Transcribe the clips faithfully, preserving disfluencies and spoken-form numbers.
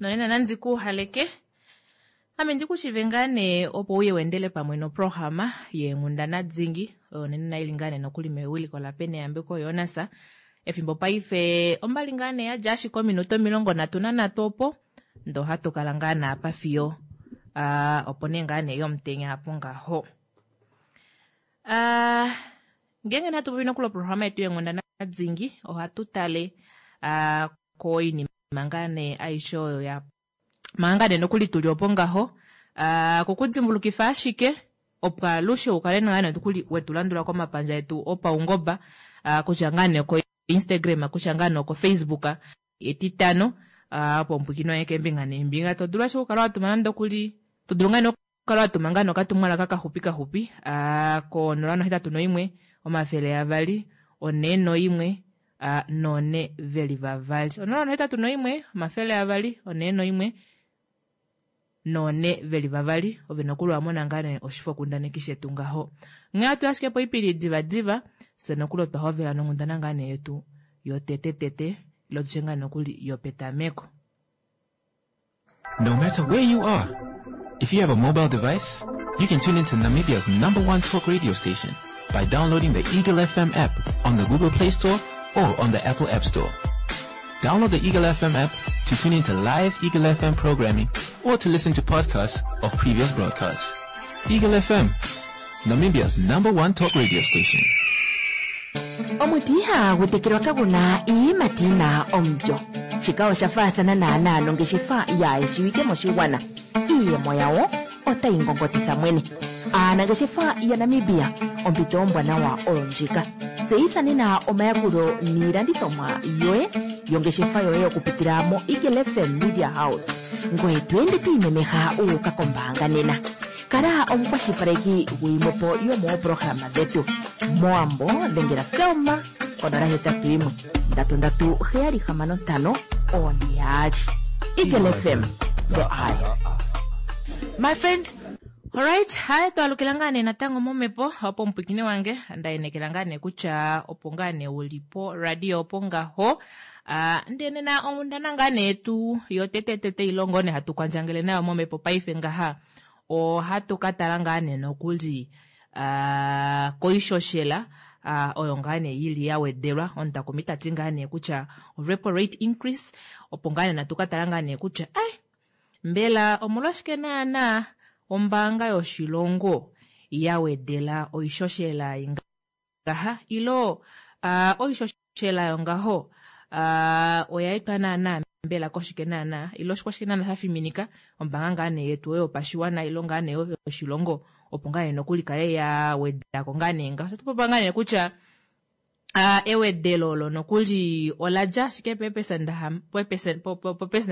Nonena nandi ku haleke ame ndi ku shive ngaa nee opo uye weendele pamwe noprograma yeenghundana dingi oyo nena ili ngaa nee nokuli mewiliko laPeneyambeko Jonas. Efimbo paife ombali ngaa nee yadja ashike ominute omilongo nhatu nanhatu opo ndee ohatu kala ngaa naapa fiyo uh, opo nee ngaa nee yomutenya apo ngaho. Uh, ngeenge natu popi nokuli oprograma yetu yeenghundana dingi ohatu tale uh, koinima ngaa nee aishe oyo ya manga nee nokuli tuli opo ngaho uh, kokudimbulukifa ashike opo alushe ukale ngaa nee nokuli wetu landula komapandja etu opaungoba uh, kutya ngaa nee ko Instagram kutya ngaa nee oko Facebook etitano uh, opo mpwikino ye keembinga neembinga to dulu ashike okukala watuma nande okuli to dulu ngaa nee okukala watuma ngaa nee okatumwalaka kaxupi kaxupi uh, ko nola nohetatu noimwe omafele avali onhe noimwe uh, nonhe veli vavali onola nohetatu noimwe omafele avali onhe noimwe nonhe veli vavali ove nokuli wamona ngaa nee oshifokundaneki shetu ngaho nghee atu ashike poipili divadiva fye nokuli otwa hovela nonghundana ngaa nee yetu yotetetete ilo tutye ngaa nokuli yopetameko. No matter where you are, if you have a mobile device, you can tune into Namibia's number one talk radio station by downloading the Eagle F M app on the Google Play Store or on the Apple App Store. Download the Eagle F M app to tune into live Eagle F M programming or to listen to podcasts of previous broadcasts. Eagle F M, Namibia's number one talk radio station. Omuti ihagu tekelwa kagu na iiyimati yi na omulyo. Shika osha faathana naanaa nongeshefa yaayeshiwike moshigwana. Iiyemo yawo otayi ngongotitha mwene. Aanangeshefa yaNamibia, ompito ombwanawa oyo ndjika. Tseyitha nena omayakulo niilandithomwa yoye yongeshefa yoye okupitila moEagle F M Media House. Ngoye to ende to imemeha wu uka kombaanga nena. Kala omukwashilipaleki gwiimopo yomooprograma dhetu. Mowambo dhengela Selma konola hetatu yimwe ndatu ndatu heyali hamano ntano oone yaali. Eagle F M, the eye. My friend, alright, hai twalukila ngaa nee natango momhepo opo omupwikini wange ndaenekela ngaa nee kutya opo ngaa nee uli po radio opo ngaho uh, ndee nena onghundana ngaa nee yetu yotetetete ilongo nee hatu kwandjangele nayo momhepo paife ngaha ohatu ka tala ngaa nee nokuli uh, koishoshela uh, oyo ngaa nee yili ya wedelwa omutakumi tati ngaa nee kutya repo rate increase opo ngaa nee natu ka tala ngaa nee kutya eh, mbela omolwashike naana ombaanga yoshilongo ya wedela oishoshela ingaha ilo uh, oishoshela yongaho uh, oya etwa naana mbela koshike naana ilo oshike naana sha fiminika ombaanga ngaa nee yetu oyo yopashiwana ilo ngaa nee yoshilongo opo ngaa nee nokuli kale ya wedako ngaa nee ngaho otapu ngaa nee kutya uh, ewedelo olo nokuli ola dja ashike peepesenda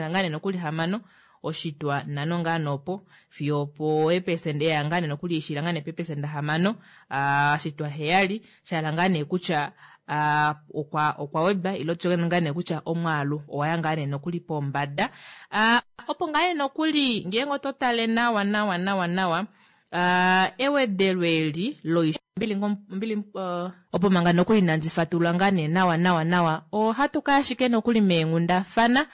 ngaa nee nokuli hamano oshitwa nhano ngaa nopo fiyo opo eepesenda eya ngaa nee nokuli ishila ngaa nee peepesenda hamano uh, shitwa heyali shahala ngaa nee kutya uh, okwa okwa wedwa ilo tutye ngaa nee kutya omwaalu owaya ngaa nee nokuli pombada uh, opo ngaa nee nokuli ngeenge oto tale nawa nawa nawa nawa uh, ewedelo eli lombili mbili uh, opo manga nokuli inandi fatulula ngaa nee nawa nawa nawa ohatu kaya ashike nokuli meenghundafana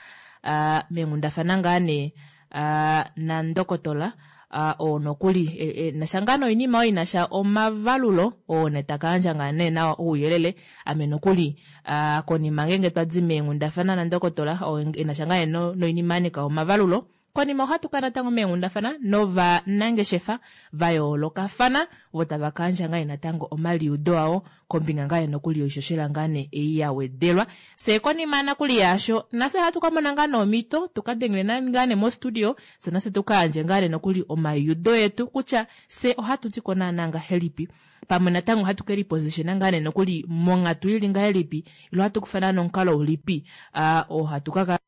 uh, meenghundafana ngaa nee uh, nandokotola uh, oo nokuli e, e, nasha ngaa noinima oyo inasha omavalulo oo nee taka yandja ngaa nee nawa ouyelele ame nokuli uh, konima ngeenge twadi meenghundafana nandokotola oo enasha ngaa nee no, noinima yanika omavalulo konima ohatu kala natango meenghundafana novanangeshefa va yoolokafana vo tava ka yandja ngaa natango omaliudo awo kombinga ngaa nokuli yoishoshela ngaa nee ei ya wedelwa fye konima nakuli yaasho nafye ohatu ka mona ngaa nomhito tuka dengele ngaa nee mostudio fye nafye tuka yandje ngaa nee nokuli omaliudo etu kutya fye ohatu tiko naana ngahelipi pamwe natango ohatu ke lipositiona ngaa nee nokuli monghatu ili ngahelipi ilo ohatu kufa naana omukalo ulipi uh, oo hatu ka kala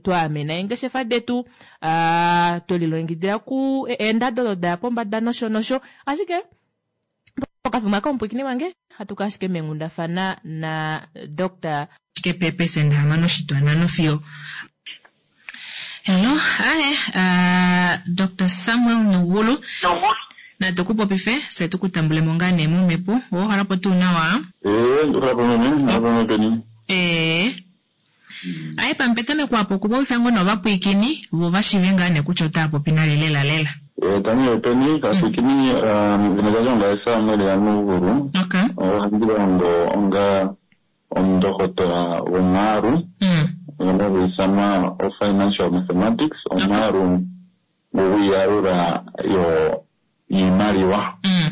twaamena eengeshefa detu uh, twelilongekidila ku eendado odo daya pombada nosho nosho ashike pokafimbo aka omupwikini wange hatu ka ashike meenghundafana na Doctor ashike peepesenda hamano oshitwa nhano fiyo hello hi uh, Doctor Samuel Nugulu natu ku popife fye tu ku tambulemo ngaa nee momhepo owohalapo tuu nawa? Ee, ndohalapo meme, ndohalapo meme peni. Ee. Aye pampetameko apo okupopifa ngoo novapwiikini vo vashiive ngaa nee kutya otava popi nale lela lela. Tani yopeni kapwiikini edhina lyandje ongaye Samuel yaNuugulu. Okay. Ohandi longo onga omundohotola gomwaalu Mm. ngono hagu ithanwa o-financial mathematics, omwaalu gwiiyalula yo yiimaliwa. Mm.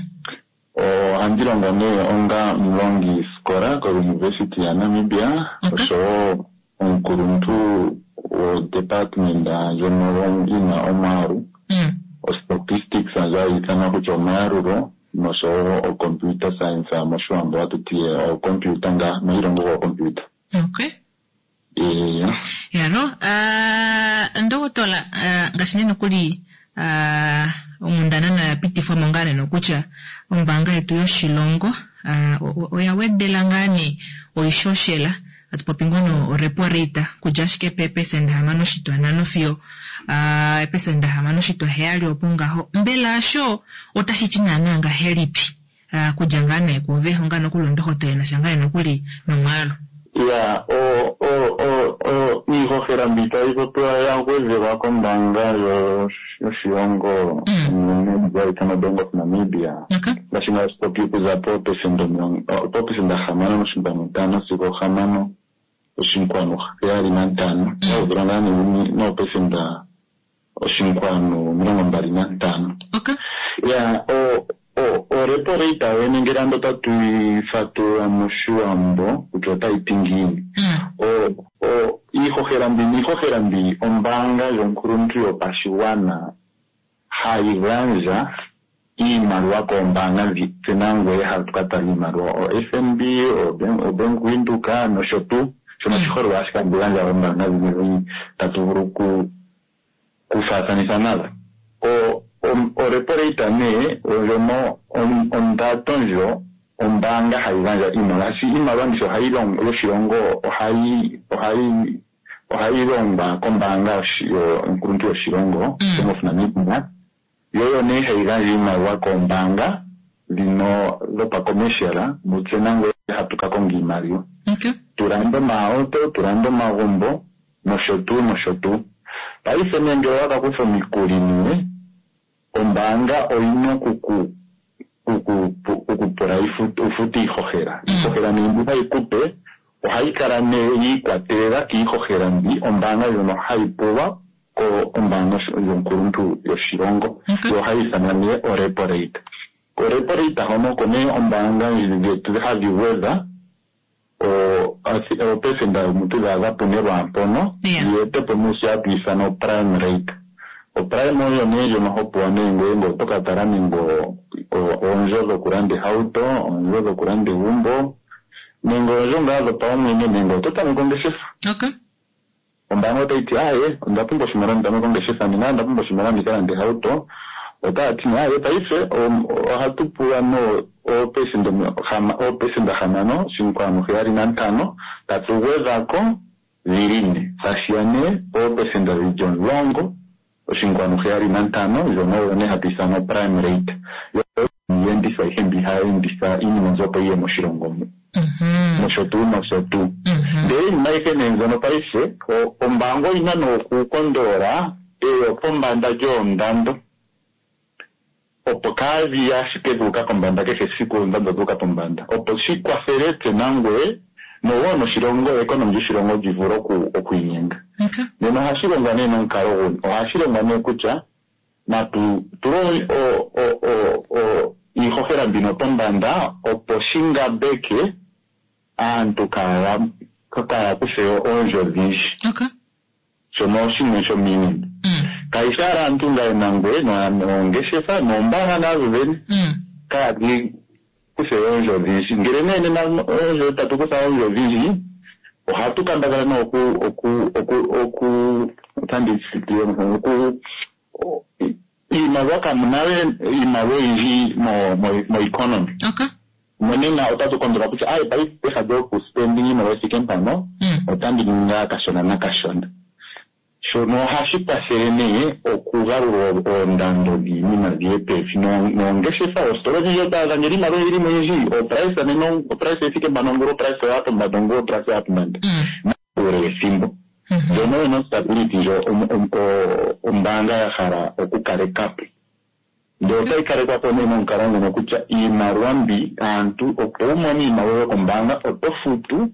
Ohandi longo nee onga omulongi sikola koUniversity yaNamibia Okay. oshowo omukuluntu wodepartment ndjono yina omwaalu Mm. o-statistics ndjo hayi ithanwa kutya omayalulo noshowo o-computer science moshiwambo hatu ti ocomputer ngaa mailongo goocomputer. Okay. Eya. Yalo, uh, ndohotola uh, ngaashi nee nokuli uh, onghundana nayo yapitifwa mo ngaa nee nokutya ombaanga yetu yoshilongo uh, o- o- oya wedela ngaa nee oishoshela atu popi ngono repo rate kudja ashike peepesenda hamano oshitwa nhano fiyo uh, eepesenda hamano oshitwa heyali opo ngaho mbela osho otashi ti naana ngahelipi uh, kudja ngaa nee kuve onga nokuli ondohotola enasha ngaa nee nokuli nomwaalu. Ya, o o o o iihohela mbi tayi popiwa ya gwedhelwa kombaanga yo- yoshilongo Mm. ndjoka hayi ithanwa Bank of Namibia Okay. ngaashi ngaashi popi okuza poopesenda omilongo poopesenda hamano oshinkwanu ntano sigo hamano oshinkwanu heyali nantano ya gwedhelwa ngaa nee noopesenda oshinkwanu omilongo mbali nantano. Okay. Ya, o o o repo rate yene ngele ando otatu yi fatulula moshiwambo kutya otayi ti ngiini. Mm. O o iihohela mbino iihohela mbi ombaanga yonkuluntu yopashigwana hayi gandja iimaliwa koombaanga dhi tse nangweye hatu ka tala iimaliwa o-F N B, o-Bank Windhoek nosho tuu. Shono oshiholelwa ashike handi gandja oombaanga dhimwe tatu vulu ku kufaathanitha nadho. O o repo rate nee ndjono ondando ndjo ombaanga hayi gandja iimaliwa shi iimaliwa mbisho ohayi longo yoshilongo ohayi ohayi ohayi longwa kombaanga yonkuluntu yoshilongo Mm. Bank of Namibia yo oyo nee hayi gandja iimaliwa koombaanga dhino dhopacommercial mutse nangweye hatu ka konga iimaliwa Okay. tulande omahauto tulande omagumbo nosho tuu nosho tuu. Paife nee ngele owa ka kutha omikuli nee ombaanga oyina okuku oku- okupula ufute iihohela. Iihohela nee mbi hayi kupe ohayi kala nee yiikwatelela kiihohela mbi ombaanga ndjono hayi pulwa kombaanga yonkuluntu yoshilongo. Okay. Yo ohayi ithanwa nee orepo rate. Korepo rate hono oko nee ombaanga dhetu hadhi gwedha oopesenda omuntu dha adha pune lwaampono Yeah. yi ete po nee shi hatu ithana oprime rate. Oprime oyo nee ndjono ho pewa nee ngoye ngele oto ka tala nenge oondjo dhokulanda ehauto, oondjo dhokulanda egumbo nenge oondjo ngaa dhopaumwene nenge oto tameke ongeshefa. Okay. Ombaanga otayi ti aaye onda pumbwa oshimaliwa ndi tameke ongeshefa nena onda pumbwa oshimaliwa ndi ka lande ehauto. Otaya ti nee aaye paife ohatu pula no oopesenda oopesenda hamano oshinkwanu heyali nantano tatu gwedhako dhili ne tashiya nee poopesenda dhili omulongo oshinkwanu heyali nantano ndjono oyo nee hatu ithana oprime rate. Yo iiyenditho ayihe mbi hayi enditha iinima mbyoka opo yiye moshilongo mu Mhm. nosho tuu nosho tuu. Mhm. Ndele iinima ayihe nee mbyono paife ombaanga oyina nee okukondolola eyo pombanda lyoondando opo kaadhi ashike dhuuka pombanda kehe esiku oondando dhuuka pombanda opo shi kwathele tse nangweye nowo noshilongo economy lyoshilongo lyi vule oku okwiinyenga. Okay. Nena ohashi longwa nee nomukalo guni? Ohashi longwa nee kutya natu tule o- o- o- o- iihohela mbino pombanda opo shi ngambeke aantu kaaya kaaya kuthe oondjo odhindji. Okay. Shono shimwe shomiinima. Mm. Kayishi owala aantu ngaye nangweye noongeshefa noombaanga nadho dhene Mm. kaadhi kuthe oondjo odhindji. Ngele nee nena oondjo tatu kutha oondjo odhindji ohatu kambadhala nee oku oku oku oku otandi oku iimaliwa kamuna we iimaliwa oyindji mo mo mo economy. Okay. Monena otatu kondola kutya aye paife peha lyokuspending iimaliwa ithike mpano Mm. otandi ningi kashona nakashona. Shono ohashi kwathele nee okugalula oondando dhiinima dhiye pevi noongeshefa oositola odhindji otwaadha ngele iimaliwa oyili mo oyindji oprice nena oprice ethike mpano ongula oprice oya pombanda ongula oprice oya pombanda. Mm. uule wethimbo. Ndjono oyo nostability ndjo ombaanga ya hala okukaleka po. Ndele otayi kalekwa po nee momukalo ngono kutya iimaliwa mbi aantu opo wu mone iimaliwa yokombaanga oto futu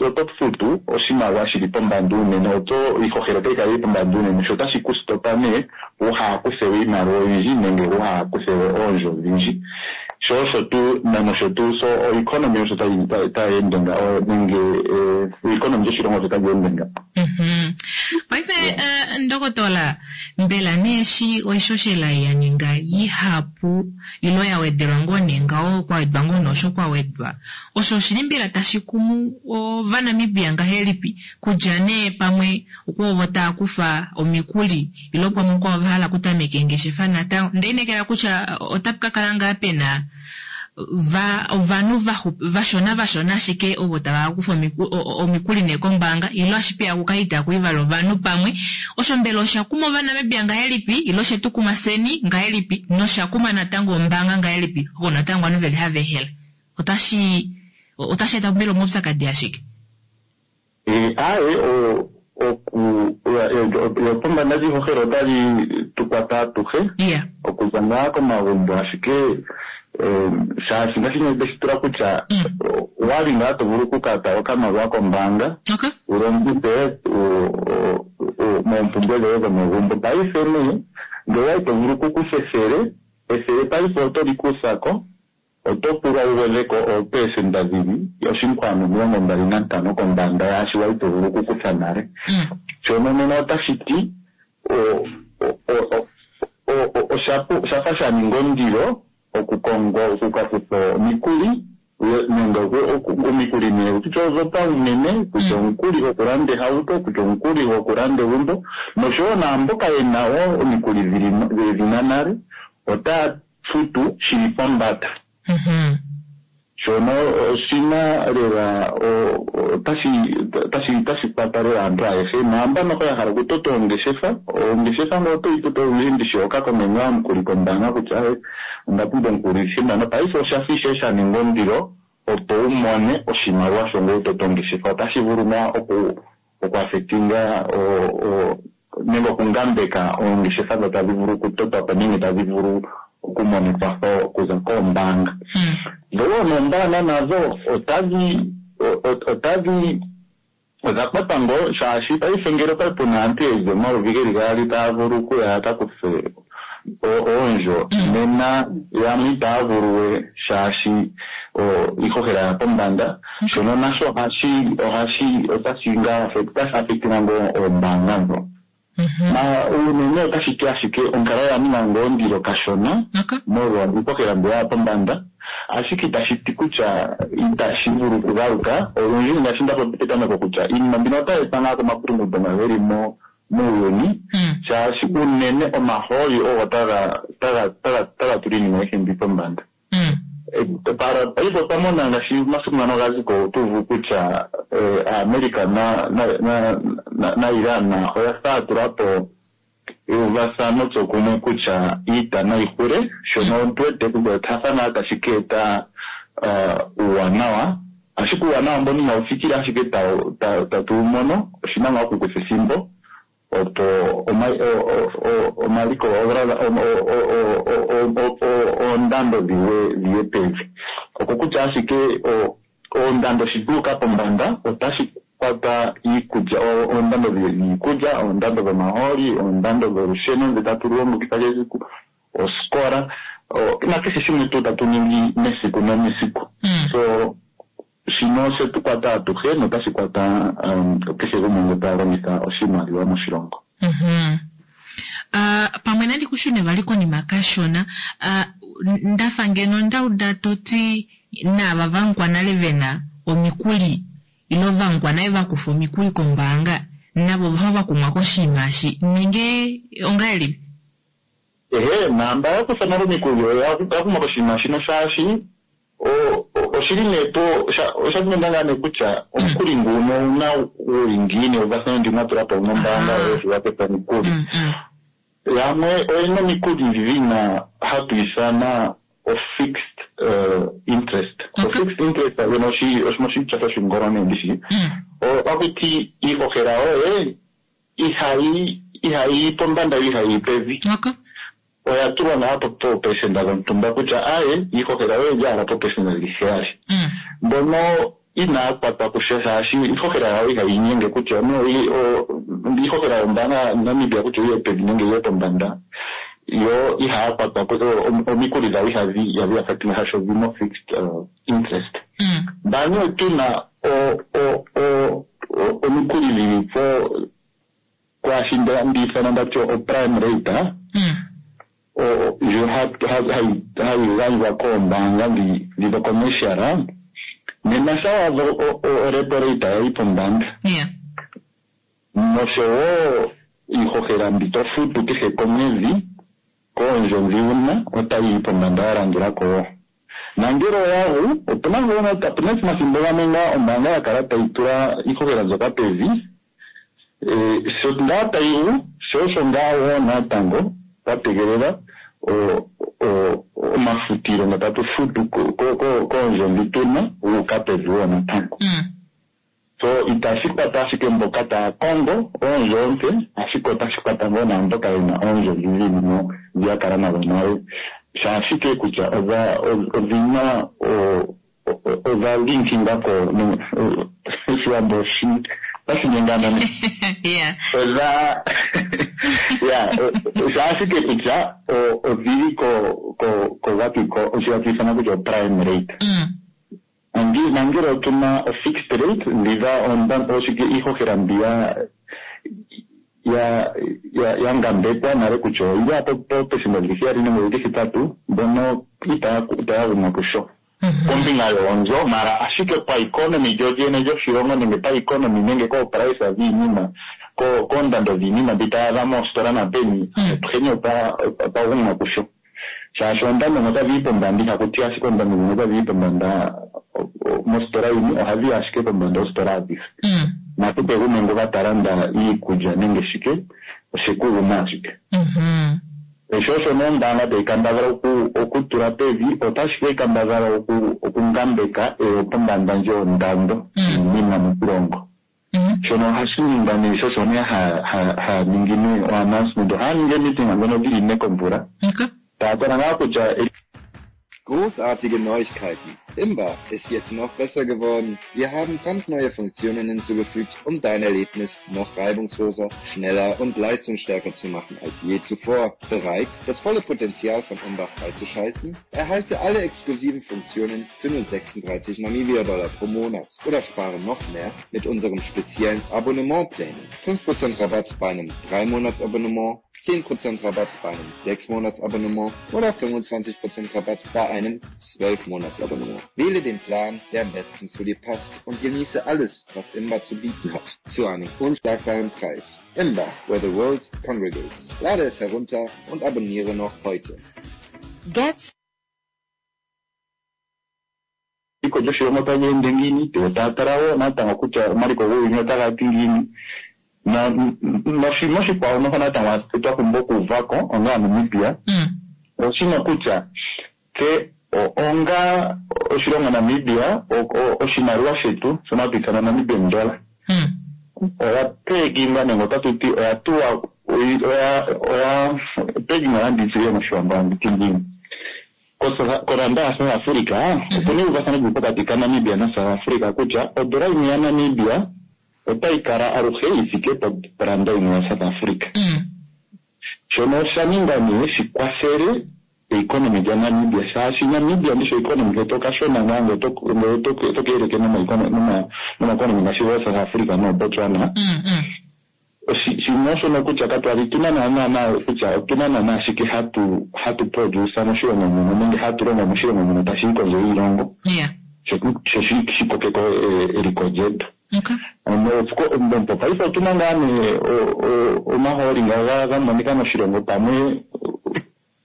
oto futu oshimaliwa shili pombanda unene, oto iihohela otayi kala yili pombanda unene, sho otashi ku stopa nee wuha kuthe we iimaliwa oyindji nenge wuha kuthe we oondjo odhindji. Sho osho tuu nosho tuu so oeconomy osho tayi ende nga nenge oeconomy yoshilongo osho tayi ende nga. Paife ndokotola, mbela nee eshi oishoshela ya ninga ihapu ilo ya wedelwa ngoo nee ngaho kwa wedwa ngoo noosho kwa wedwa, osho oshili mbela tashi kumu ovanamibia ngahelipi? Kutya nee pamwe okwovo tava kufa omikuli ilo pamwe okwavo va hala okutameka eengeshefa natango, ndeinekela kutya otapu ka kala ngaa pena va ovanhu vashona vashona ashike ovo tava kufa omikuli nee kombaanga ilo ashike akuka itaku ivala ovanhu pamwe. Osho mbela osha kuma ovanamibia ngahelipi ilo oshe tu kuma fyeni ngahelipi nosha kuma natango ombaanga ngahelipi oko natango ovanhu veli hava ehela? Otashi otashi eta mbela omaupyakadi ashike? Aaye, oku yopombanda lyiihohela otali tu kwata atuhe okuza ngaa komagumbo ashike shaashi ngaashi ndeshi tula kutya wali ngaa to vulu okukata okamaliwa kombaanga wu longithe moompumbwe dhoye dhomegumbo. Paife nee ngele owali to vulu okukutha ethele, ethele paife oto li kutha ko, oto pulwa wu gwedhe ko oopelesenda dhili oshinkwanu omilongo mbali nantano kombanda yaashi wali to vulu okukutha nale. Shono nena otashi ti oshafa sha ninga ondilo okukonga okukakutha omikuli nenge omikuli nee kutya odhopaumwene, kutya omukuli gokulanda ehauto, kutya omukuli gokulanda egumbo, noshowo naamboka yena wo omikuli dhina nale otaya futu shili pombanda. Shono oshina lela otashi otashi kwata lela aantu ayehe naambano ya hala okutota oongeshefa, oongeshefa ngele otoyi toto olundji ndishi oho ka konga ngaa omukuli kombaanga kutya onda pumbwa omukuli shimano. Paife oshafa ishewe sha ninga ondilo opo wu mone oshimaliwa sho ngoye wutote ongeshefa. Otashi vulu ngaa oku okuafectinga nenge okungambeka oongeshefa dho tadhi vulu okutotwa po nenge tadhi vulu okumona ekwatho okuza koombaanga. Dho wo noombaanga nadho otadhi otadhi odha kwatwa ngoo shaashi paife ngele okwali puna aantu yeli omayovi geli gaali taya vulu okuya yaka kuthe oondjo, nena yamwe itaya vulu we shaashi iihohela ya pombanda. Shono nasho ohashi ohashi otashi ngaa otashi afectinga ngoo oombaanga ndho. Na unene otashi ti ashike onkalo oya ninga ngoo ondilo kashona molwa iihohela mbi yaya pombanda, ashike itashi ti kutya itashi vulu okugaluka. Olundji ngaashi nda popi petameko kutya iinima mbino otayi etwa ngaa komakulunguto nga geli mo muuyuni, shaashi unene omahooli ogo taga taga taga taga tula iinima ayihe mbi pombanda. Paife otwa mona ngaashi omasiku ngano ga zi ko otu uvu kutya America na na na Iran oya fa ya tula po euvathano tsokumwe kutya iita nayi hule, shono tu wete kutya oshafa ngaa tashi ka eta uuwanawa, ashike uuwanawa mbono inawu thikila ashike tatu wu mono, oshina ngaa okukutha ethimbo opo omaliko oondando dhiye pevi. Okokutya ashike oondando shi dhuuka pombanda otashi kwata iikulya, oondando dhiikulya, oondando dhomahooli, oondando dholusheno ndhi tatu longitha kehe esiku, oosikola nakehe shimwe tuu tatu ningi mesiku nomesiku. So shino oshe tu kwata atuhe notashi kwata kehe gumwe ngoka ta longitha oshimaliwa moshilongo. Pamwe nandi kushune vali konima kashona, ndafa ngeno ndauda toti naava vangwa nale vena omikuli ilo vangwa nale vakufa omikuli kombaanga navo va kumwa koshinima eshi nenge ongahelipi? Ehe, naamba ya kutha nale omikuli oya kumwa koshinima shino shaashi oshili nee po osha kumenda ngaa nee kutya omukuli nguno owuna wuli ngiini, euvathano ndi mwa tula po nombaanga yoye sho wa kutha omikuli. Yamwe oyena omikuli dhina hatu ithana o fixed uh, interest. Okay. O-fixed interest yona oshi- oshitya shoshingolone ndishi. Ohakuti iihohela yoye ihayi ihayi pombanda yo ihayi pevi. Okay. Oya tulwa ngaa po poopesenda dhontumba kutya aye iihohela yoye oya poopesenda dhili heyali. Mm. Mbono inaa kwatwa kusha shaashi iihohela yawo ihayi inyenge kutya no i- o- iihohela yombaanga yaNamibia kutya oyiye pevi nenge iye pombanda yo ihaya kwatwa ku- o- omikuli dhawo ihadhi ihadhi affecting shaashi odhina fixed uh, interest. Mm. Mbano otuna o- o- o- o- omikuli dhili po kwaashi nda- ndiithana ndati o prime rate ah, Mm. o- ndjo ha- ha- hayi hayi gandjwa koombaanga dhi dhi dho-commercial ah, nena sha wadha o- o- orepo rate yayi pombanda Yeah. noshowo iihohela mbi to futu kehe komwedhi koondjo ndhi wuna otayi yi pombanda ya landula ko wo. Nangele oyagu opuna ngono opuna omathimbo gamwe ngaa ombaanga ya kala tayi tula iihohela mbyoka pevi eh, sho ngaa tayi gu sho osho ngaa wo natango twa tegelela o- o- omafutilo nga tatu futu ko- ko- ko- koondjo ndhi tuna guuka pevi wo natango. Mm. So itashi kwata ashike mboka taya kongo oondjo oompe, ashike otashi kwata ngoo naamboka yena oondjo dhi dhili mo dhi ya kala nadho nale. Shaashike kutya odha odhina o- o- odha linkinga ko no- o- Oshiwambo oshi otashi nyengana ne. Yeah. Odha ya shaashike kutya o- odhili ko ko ko wapi ko oshi ithana kutya o prime rate. Mm. Angi- nangele otuna o-fixed rate ndhiga onda- oshike iihohela mbi ya ya ya ya ngambekwa nale kutya oyili apo pethimbo lili heyali nenge lili hetatu mbono itaya itaya gumwa kusho Mhm. kombinga yoonzo mara ashike paeconomy lyolyene lyoshilongo nenge paeconomy nenge kooprice dhiinima ko- koondando dhiinima mbi taya adha moositola napeni Mm. atuheni otwa otwa gumwa kusho shaashi oondando ndhoka dhili pombanda ihakuti ashike oondando ndhoka dhili pombanda o- o- mositola yimwe ohadhi yi ashike pombanda oositola adhihe Mm. nakehe gumwe ngoka ta landa iikulya nenge shike oshekuguma ashike Mhm. sho osho nombaanga tayi kambadhala oku- okutula pevi otashi ke kambadhala oku- okungambeka eyo pombanda ndjoondando yiinima moshilongo Mm. shono ohashi ningwa nee sho osho nee ha- ha- haya ningi nee o-announcement ohaya ningi emeeting ndhono dhili ne komvula Okay. taya tala ngaa kutya Großartige Neuigkeiten. Imba ist jetzt noch besser geworden. Wir haben brandneue Funktionen hinzugefügt, um dein Erlebnis noch reibungsloser, schneller und leistungsstärker zu machen als je zuvor. Bereit, das volle Potenzial von Imba freizuschalten? Erhalte alle exklusiven Funktionen für nur sechsunddreißig Namibia-Dollar pro Monat oder spare noch mehr mit unserem speziellen Abonnementplänen. fünf Prozent Rabatt bei einem drei Monats-Abonnement, zehn Prozent Rabatt bei einem sechs Monats-Abonnement oder fünfundzwanzig Prozent Rabatt bei einem zwölf Monats-Abonnement. Wähle den Plan, der am besten zu dir passt und genieße alles, was Imba zu bieten hat, zu einem unschlagbaren Preis. Imba, where the world congregates. Lade es herunter und abonniere noch heute. Get eliko lyoshilongo otali ende ngiini, yo taya tala wo natango kutya omaliko guuyuni otaga ti ngiini. Na- noshinima oshikwawo noho natango twa pumbwa okuuva ko onga Namibia Mm. oshino kutya tse o- onga oshilongo Namibia o- o- oshimaliwa shetu shono hatu ithana Namibian dollar Mm. oya pegingwa nenge otatu ti oya tulwa oyi- oya oya pegingwa nanditile moshiwambo anditi ngiini Ko- koranda ya South Africa opuna euvathano lili pokati kaNamibia naSouth Africa kutya odola yimwe yaNamibia otayi kala aluhe yi thike poranda yimwe yaSouth Africa. Mm. Shono osha ninga nee shi kwathele economy lyaNamibia shaashi Namibia ndisho economy ketu okashona ngaa ngele oto- ngele oto- oto keeleke nomaeconomy ngaashi goSouth Africa nooBotswana. Mm. Mm. Oshi- shimwe oshono kutya katwali tuna naana kutya otuna naana ashike hatu hatu produce moshilongo muno nenge hatu longo moshilongo muno tashi yi kondje yiilongo Yeah. sho sho shi shi kokeko eh, eliko lyetu. Okay. Ano, mopaife otuna ngaa nee o- o- omahooli nga ga- ga monika moshilongo pamwe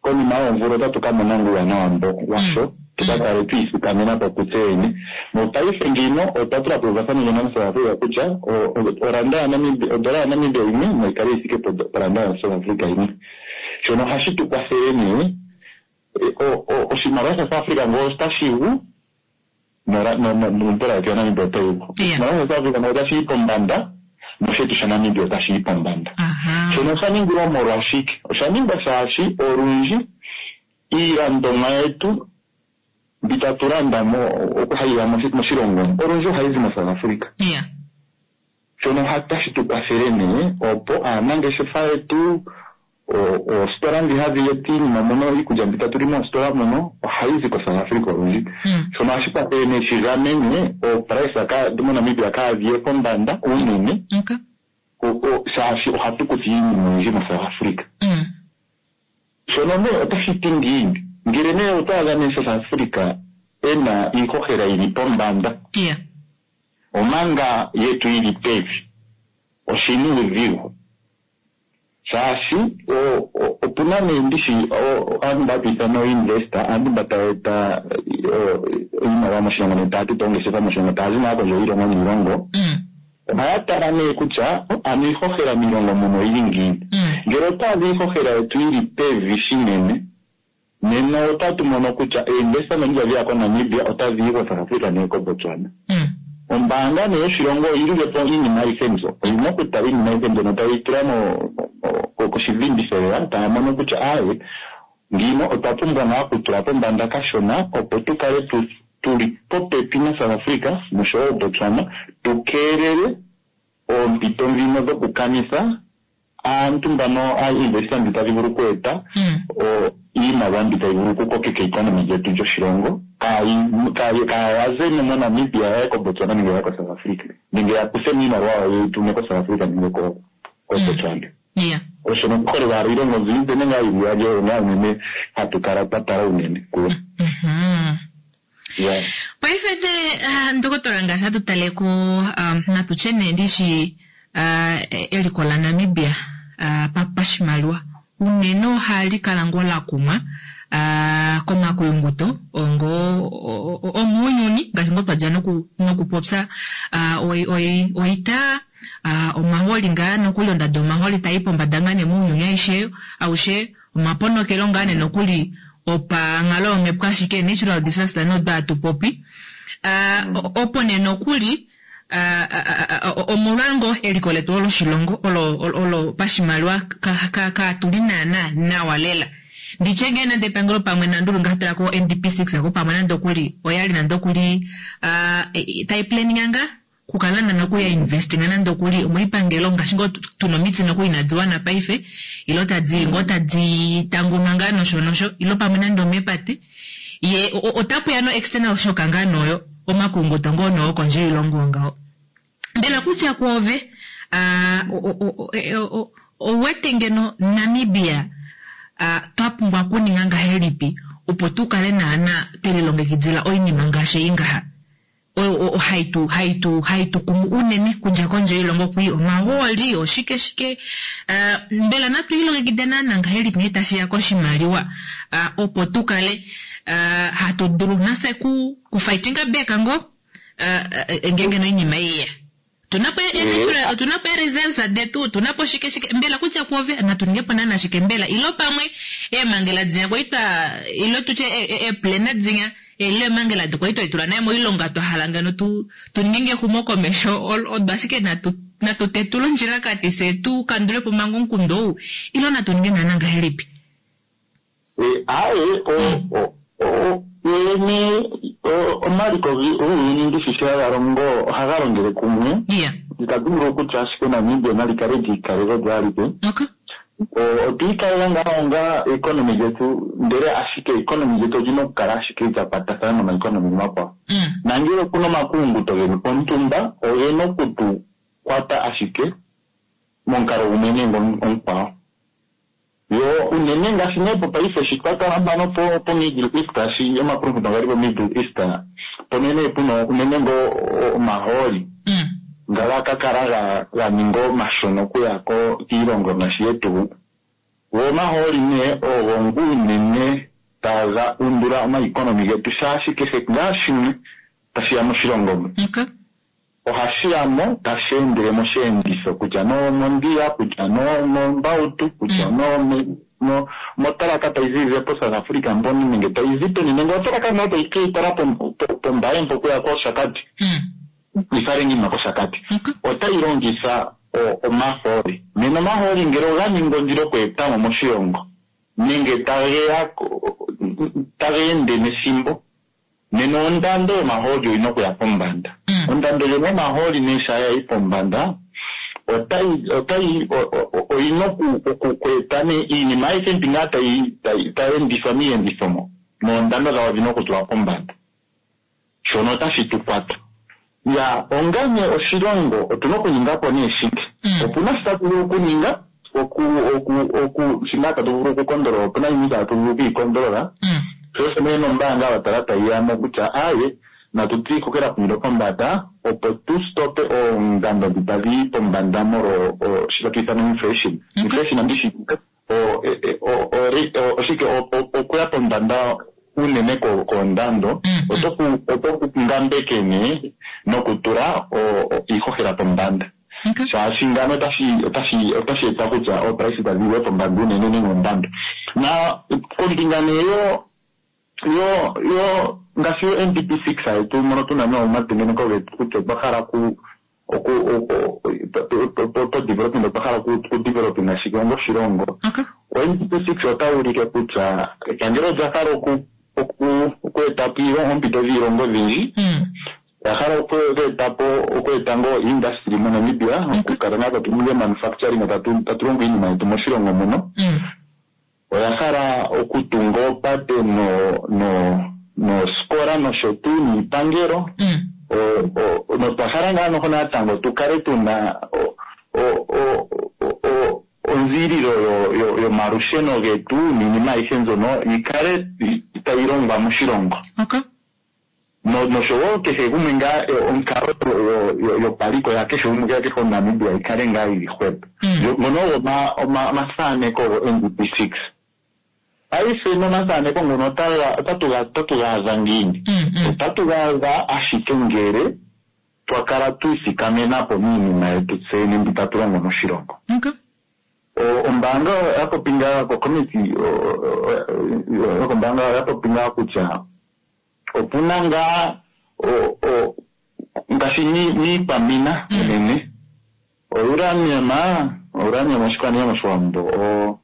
konima yoomvula otatu ka mona uuwanawa mbo washo tuka kale twiithikamena po kutse yene. Mopaife ngino otwa tula po euvathano ndjono naSouth Africa kutya o- o- oranda yaNamibia odola yaNamibia yimwe nayi kale yi thike po- poranda yaSouth Africa yimwe. Shono ohashi tu kwathele nee O- o- Oshimaliwa shaSouth Africa ngoo otashi gu nora- no- no- nodola yetu yaNamibia otayi gu. Yeah. Oshimaliwa shaSouth Africa ngoo otashi yi pombanda noshetu shaNamibia otashi yi pombanda. Aha. Shono osha ningilwa molwashike? Osha ningwa shaashi olundji iilandomwa yetu mbi tatu landa mo oku hayi ya moshi- moshilongo olundji ohayi zi moSouth Africa. Yeah. Shono otashi tu kwathele nee opo aanangeshefa yetu o- oositola ndhi hadhi eta iinima mono iikulya mbi tatu li moositola mono ohayi zi koSouth Africa olundji. Mm. Shono ohashi kwathele nee shi gamene ooprice ka moNamibia kaadhi ye pombanda unene Okay. o- o- shaashi ohatu kutha iinima oyindji moSouth Africa. Mm. Shono nee otashi ti ngiini? Ngele nee oto adha nee South Africa ena iihohela yili pombanda Yeah. omanga yetu yili pevi oshina uudhigu shaashi o- o- opuna nee ndishi o- aantu mba hatu ithana ooinvesta aantu mba taya eta o- iimaliwa moshilongo nee taya toto oongeshefa moshilongo taya zi naa kondje yiilongo niilongo Mm. ohaya tala nee kutya ano iihohela miilongo muno oyili ngiini Mm. ngele otwa adha iihohela yetu yili pevi shinene nena otatu mono kutya einvestment ndhi ya koNamibia otadhi yi koSouth Africa nee koBotswana Mm. ombaanga nee yoshilongo oyilile po iinima ayihe mbyo oyina okutala iinima ayihe mbyono tayi tula mo- mo- koshidhinditho taya mono kutya aaye ngino otwa pumbwa naa okutula pombanda kashona opo tu kale tu tuli popepi naSouth Africa noshowo Botswana tu keelele oompito ndhino dhokukanitha aantu mbano aainvesta mbi tadhi vulu okweeta Mm. o- iimaliwa mbi tayi vulu okukokeka economy lyetu lyoshilongo kaayi- kaayi- kaaya zemo moNamibia yaye koBotswana nenge yaye koSouth Africa nenge ya kuthe mo iimaliwa yawo yeyi tume koSouth Africa nenge ko- koBotswana. Yeah. Osho nokuholela owala iilongo mbi ipe nenge yili iyali oyo ngaa unene hatu kala twa tala unene kuyo. Mhm. Yeah. Paife nee ah, ndokotola ngaashi hatu tale ko um, natu tye nee ndishi ah, eliko laNamibia ah, pa- pashimaliwa unene ohali kala ngoo la kumwa ah, komakuyunguto ongo o- o- omuuyuni ngaashi ngoo twadja noku- nokupopya ah, oi- oi- oita ah, omahooli ngaa nokuli ondado yomahooli tayi pombada ngaa nee muuyuni aishe aushe omaponokelo ngaa nee nokuli opanghalo yomhepo ashike natural disaster nodwa hatu popi Ah, o- opo nee nokuli ah, ah, ah, ah, omolwa ngoo eliko letu oloshilongo olo, olo, olo pashimaliwa kaatuli ka, ka tuli naana nawa lela nditye ngee nande epangelo pamwe nandulu ngaashi tulako NDP six ako pamwe nande okuli oyali nande okuli ah, e- e- tayi planninga ngaa kukala nana okuya investinga nande okuli omoipangelo ngaashi ngoo tu- tuna omiti nokuli inadi wana paife ilo tadi ngoo tadi tanguma ngaa nosho nosho ilo pamwe nande omepate ye o- o- otapuya no external shock ngaa noyo omakunguto ngoo noyo kondje yoilongo ngaho mbela kutya kwoove ah, o- o- o- e- o- o- ouwete ngeno Namibia ah, twa pumbwa okuninga ngahelipi opo tu kale naana twelilongekidila oinima ngaashi ei ngaha oyo o- o- haitu haitu haitu kumu unene kudja kondje yoilongo kwii omahooli oshike shike Ah, mbela natu ilongekide naana ngahelipi ngee tashiya koshimaliwa Ah, opo tu kale ah, hatu dulu nase ku kufightinga back ngoo ah, ah, ngeenge noinima iiya tunapo Eh. tunapo reserves detu tunapo shike shike mbela kutya kwove natu ningepo naana shike mbela ilo pamwe eemangela dinya kwaitwa ilo tutye eeplana dinya ilo eemangela dikwaitwa itula naye moilonga twa hala ngeno tu tu ninge exumokomesho ol- odo ashike natu natu tetule ondjilakati fye tu kandulepo manga omukundu ou ilo natu ninge naana ngahelipi Eh, aaye o- o- o- yoyene o- omaliko gi- guuyuni ndishi sho haga longo ohaga longele kumwe iya itatu vulu okutya ashike Namibia nali kale lyiikalela olyo alike okay O- otwiikalela ngaa onga economy lyetu ndele ashike economy lyetu olina okukala ashike lya kwatathana nomaeconomy omakwawo mm. nangele okuna omakulunguto geli pontumba ogena okutu kwata ashike momukalo gumwe nenge omu- omukwawo yo unene ngaashi nee popaife shi twa kala mpano po po Middle East shi omakulunguto gali po Middle East mpono nee puna unene ngoo o- omahooli Mm. nga ga kala ga- ga ninga omashona okuya ko kiilongo ngaashi yetu go omahooli nee ogo ngu unene taga undula omaeconomy getu shaashi kehe ngaa shimwe tashiya moshilongo mu okay ohashi ya mo tashi endele mosheenditho kutya noomondhila kutya noomombautu kutya Mm. noome mo- motalaka tayi ziilile poSouth Africa mpono nenge tayi zi peni nenge otalaka nayo tayi ke yi tala pom- po- pOmbaye mpo okuya kOshakati Mm. yi fale iinima kOshakati Okay. otayi longitha o- omahooli nena omahooli ngele oga ningi ondilo okweeta mo moshilongo nenge tage ya ko- taga ende nethimbo nena ondando yomahooli oyina okuya pombanda Mm. ondando ndjono yomahooli nee shaa yayi pombanda otayi otayi o- o- o- oyina oku- oku- okweeta nee iinima ayihe mbi ngaa tayi tayi tayi endithwa miiyenditho mo noondando dhawo odhina okutulwa pombanda shono otashi tu kwata ya ongane oshilongo otuna okuninga po nee shike Mm. opuna shi tatu vulu okuninga oku oku oku shingaa tatu vulu okukondolola opuna yimwe itatu vulu okwiikondolola Mm. sho osho nee nombaanga watala tayi yamo kutya aye natu twiikokela kumilo pombanda opo tu stope oondando dhi tadhi yi pombanda molwo o- shi tatu ithana inflation Okay. inflation andishi o- e- e- o- o- re- o- oshike o- o- okuya pombanda unene ko- koondando Mm, mm. oto ku- oto ku ngambeke nee nokutula o- o- iihohela pombanda Okay. shaashi ngano otashi otashi otashi eta kutya ooprice tadhi yiwe pombanda unene nenge ondando na kombinga nee yo yo yo ngaashi yo NDP six yetu mono tuna nee omatengeneko getu kutya otwa hala ku oku oku- po- po development otwa hala ku ku developinga shike onga oshilongo Okay. o NDP six ota ulike kutya epangelo olya hala oku oku oku eta po iilonga oompito dhiilonga odhindji Mm. oya hala okweeta po okweeta ngoo industry moNamibia okukala ngaa tatu ningi manufacturing tatu tatu longo iinima yetu moshilongo muno Mm. oya hala okutunga oopate no no noosikola nosho tuu niipangelo Mm. O- o- notwa hala ngaa noho natango tu kale tuna o- o- o- o- o- onziililo yo- yo- yomalusheno getu niinima ayihe mbyono yi kale i- tayi longwa moshilongo Okay. no noshowo kehe gumwe ngaa eh, onkalo yo- yo- yopaliko ya kehe gumwe ya kehe omuNamibia yi kale ngaa yili hwepo Mm. Yo- ngono ogo oma- oma- omathaneko go NDP six paife nomathaneko ngono otaga- otatu ga otatu ga adha ngiini Mm. Mm. otatu ga adha ashike ngele twa kala twiithikamena po miinima yetu tseyene mbi tatu longo moshilongo Okay. O- ombaanga oya popi ngaa kokomiti yokombaanga oya popi ngaa kutya opuna ngaa o- o- ngaashi ni- niikwamina Mm. unene ouranium ouranium oshikwaniwa moshiwambo o-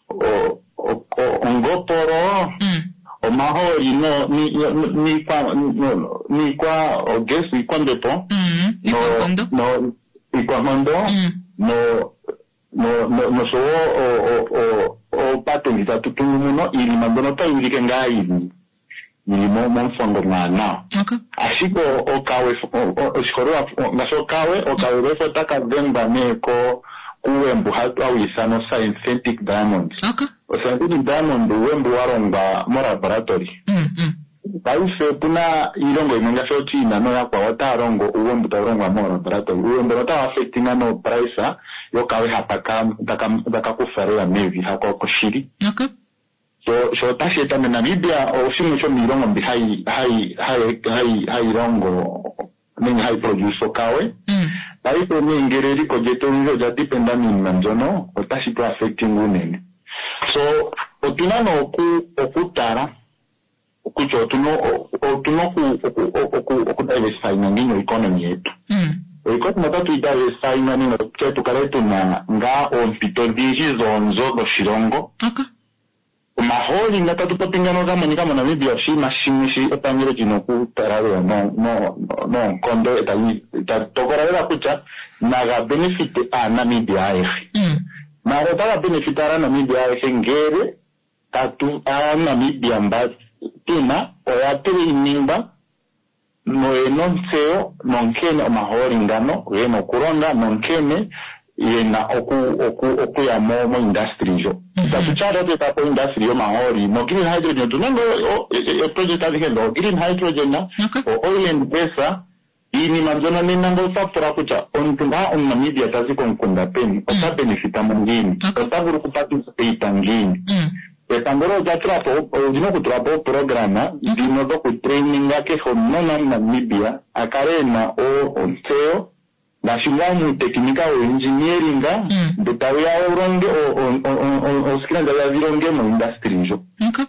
o- o- o- ongopolo Mm. omahooli no- ni- ni- niikwa no- niikwa ogas iikwambepo Mm. no Iikwankondo. no iikwankondo Mm. no no no noshowo o- o- o- oopate ndhi tatu tungu muno iinima mbyono otayi ulike ngaa yili yili mo- momufango omwaanawa Okay. ashike o- okawe o- o- oshiholelwa ngaashi okawe okawe lwefo otaka dhengwa nee ko kuwembu hawu ithanwa synthetic diamond Okay. osynthetic diamond uuwembu wa longwa molaboratory Mm. Mm. paife opuna iilongo yimwe ngaashi oChina nooyakwawo otaya longo uuwembu tawu longwa moolaboratory uuwembu otawu affectinga noprice yokawe ha taka taka taka kufa lela mevi hako koshili Okay. so sho otashi eta moNamibia oshimwe shomiilongo mbi hayi hayi hayi hayi hayi longo nenge hayi produce okawe Mm. paife nee ngele eliko lyetu olundji olya dependa miinima mbyono otashi tu affecting unene so otuna nee oku okutala kutya otuna otuna oku oku oku okudiversifyinga ngiini oeconomy yetu Mm. oeconomy otatu yi diversifyinga nenge kutya tukale tuna ngaa oompito odhindji dhoonzo dhoshilongo Okay. omahooli nga tatu popi ngano ga monika moNamibia oshinima shimwe shi epangelo lina okutala lela no- no- no- noonkondo etali tali tokola lela kutya naga benefite aaNamibia ayehe Mm. mara otaga benefite aaNamibia ayehe ngele tatu aaNamibia mba tuna oya trainingwa noyena ontseyo nonkene omahooli ngano gena okulonga nonkene yena oku oku okuya mo mo industry ndjo itatu tyala otweta po industry yomahooli no green hydrogen otuna ngo eproject adhihe dho green hydrogen Okay. o oil and gas iinima mbyono nena ngo otwa pula kutya omuntu ngaa omuNamibia tazi komukunda peni ota benefita mo ngiini Okay. ota vulu okuparticipata ngiini Mm. epangelo olya tula po olina okutula po ooprograma dhino dhokutraininga kehe omunona omuNamibia a kale ena o- ontseyo ngaashi ngaa muutekinika woengineeringa Mm. mbe tawu ya wu longe oskila ooskila ndadha dhi longe moindustry ndjo. Okay.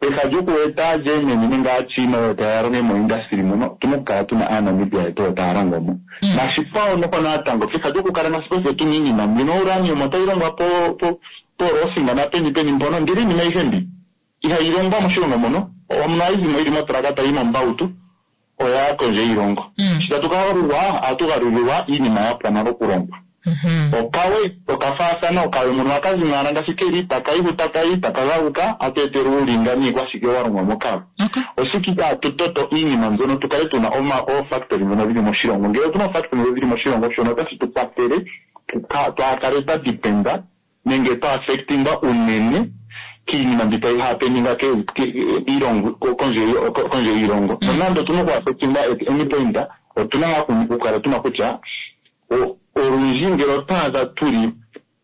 Peha lyokueta Germany nenge aaChina oyo taya longe moindustry mono, otuna okukala tuna aaNamibia yetu oyo taya longo mo. Nashikwawo noho natango peha lyokukala nasipo tuna iinima mbino uranium otayi longwa po po poRosinga napeni peni mpono, ndele iinima ayihe mbi ihayi longwa moshilongo mono, omuno hayi zimo yili motraka tayi mombautu oya kondje yiilongo. Mm. Sho tatu ka galulwa, ohatu galulilwa iinima ya pwa nale okulongwa. Mhm. Okawe okafaathana, okawe mono ohaka zi owala ngaashi keli, taka yi hu taka yi, taka galuka, atu etelwa uulinga niikwashike wa longwa mokawe. Okay. Oshike itaatu toto iinima mbyono tu kale tuna oma oofactory ndhono dhili moshilongo? Ngele otuna oofactory ndhono dhili moshilongo, shono otashi tu kwathele tuka- twaakale twa dependa nenge twa affectingwa unene kiinima mbi tayi happeninga ke- ke- miilongo ko- kondje ko- kondje yiilongo. Nonando otuna oku affectingwa at any point, otuna ngaa okukala tuna kutya o- olundji ngele otwa adha tuli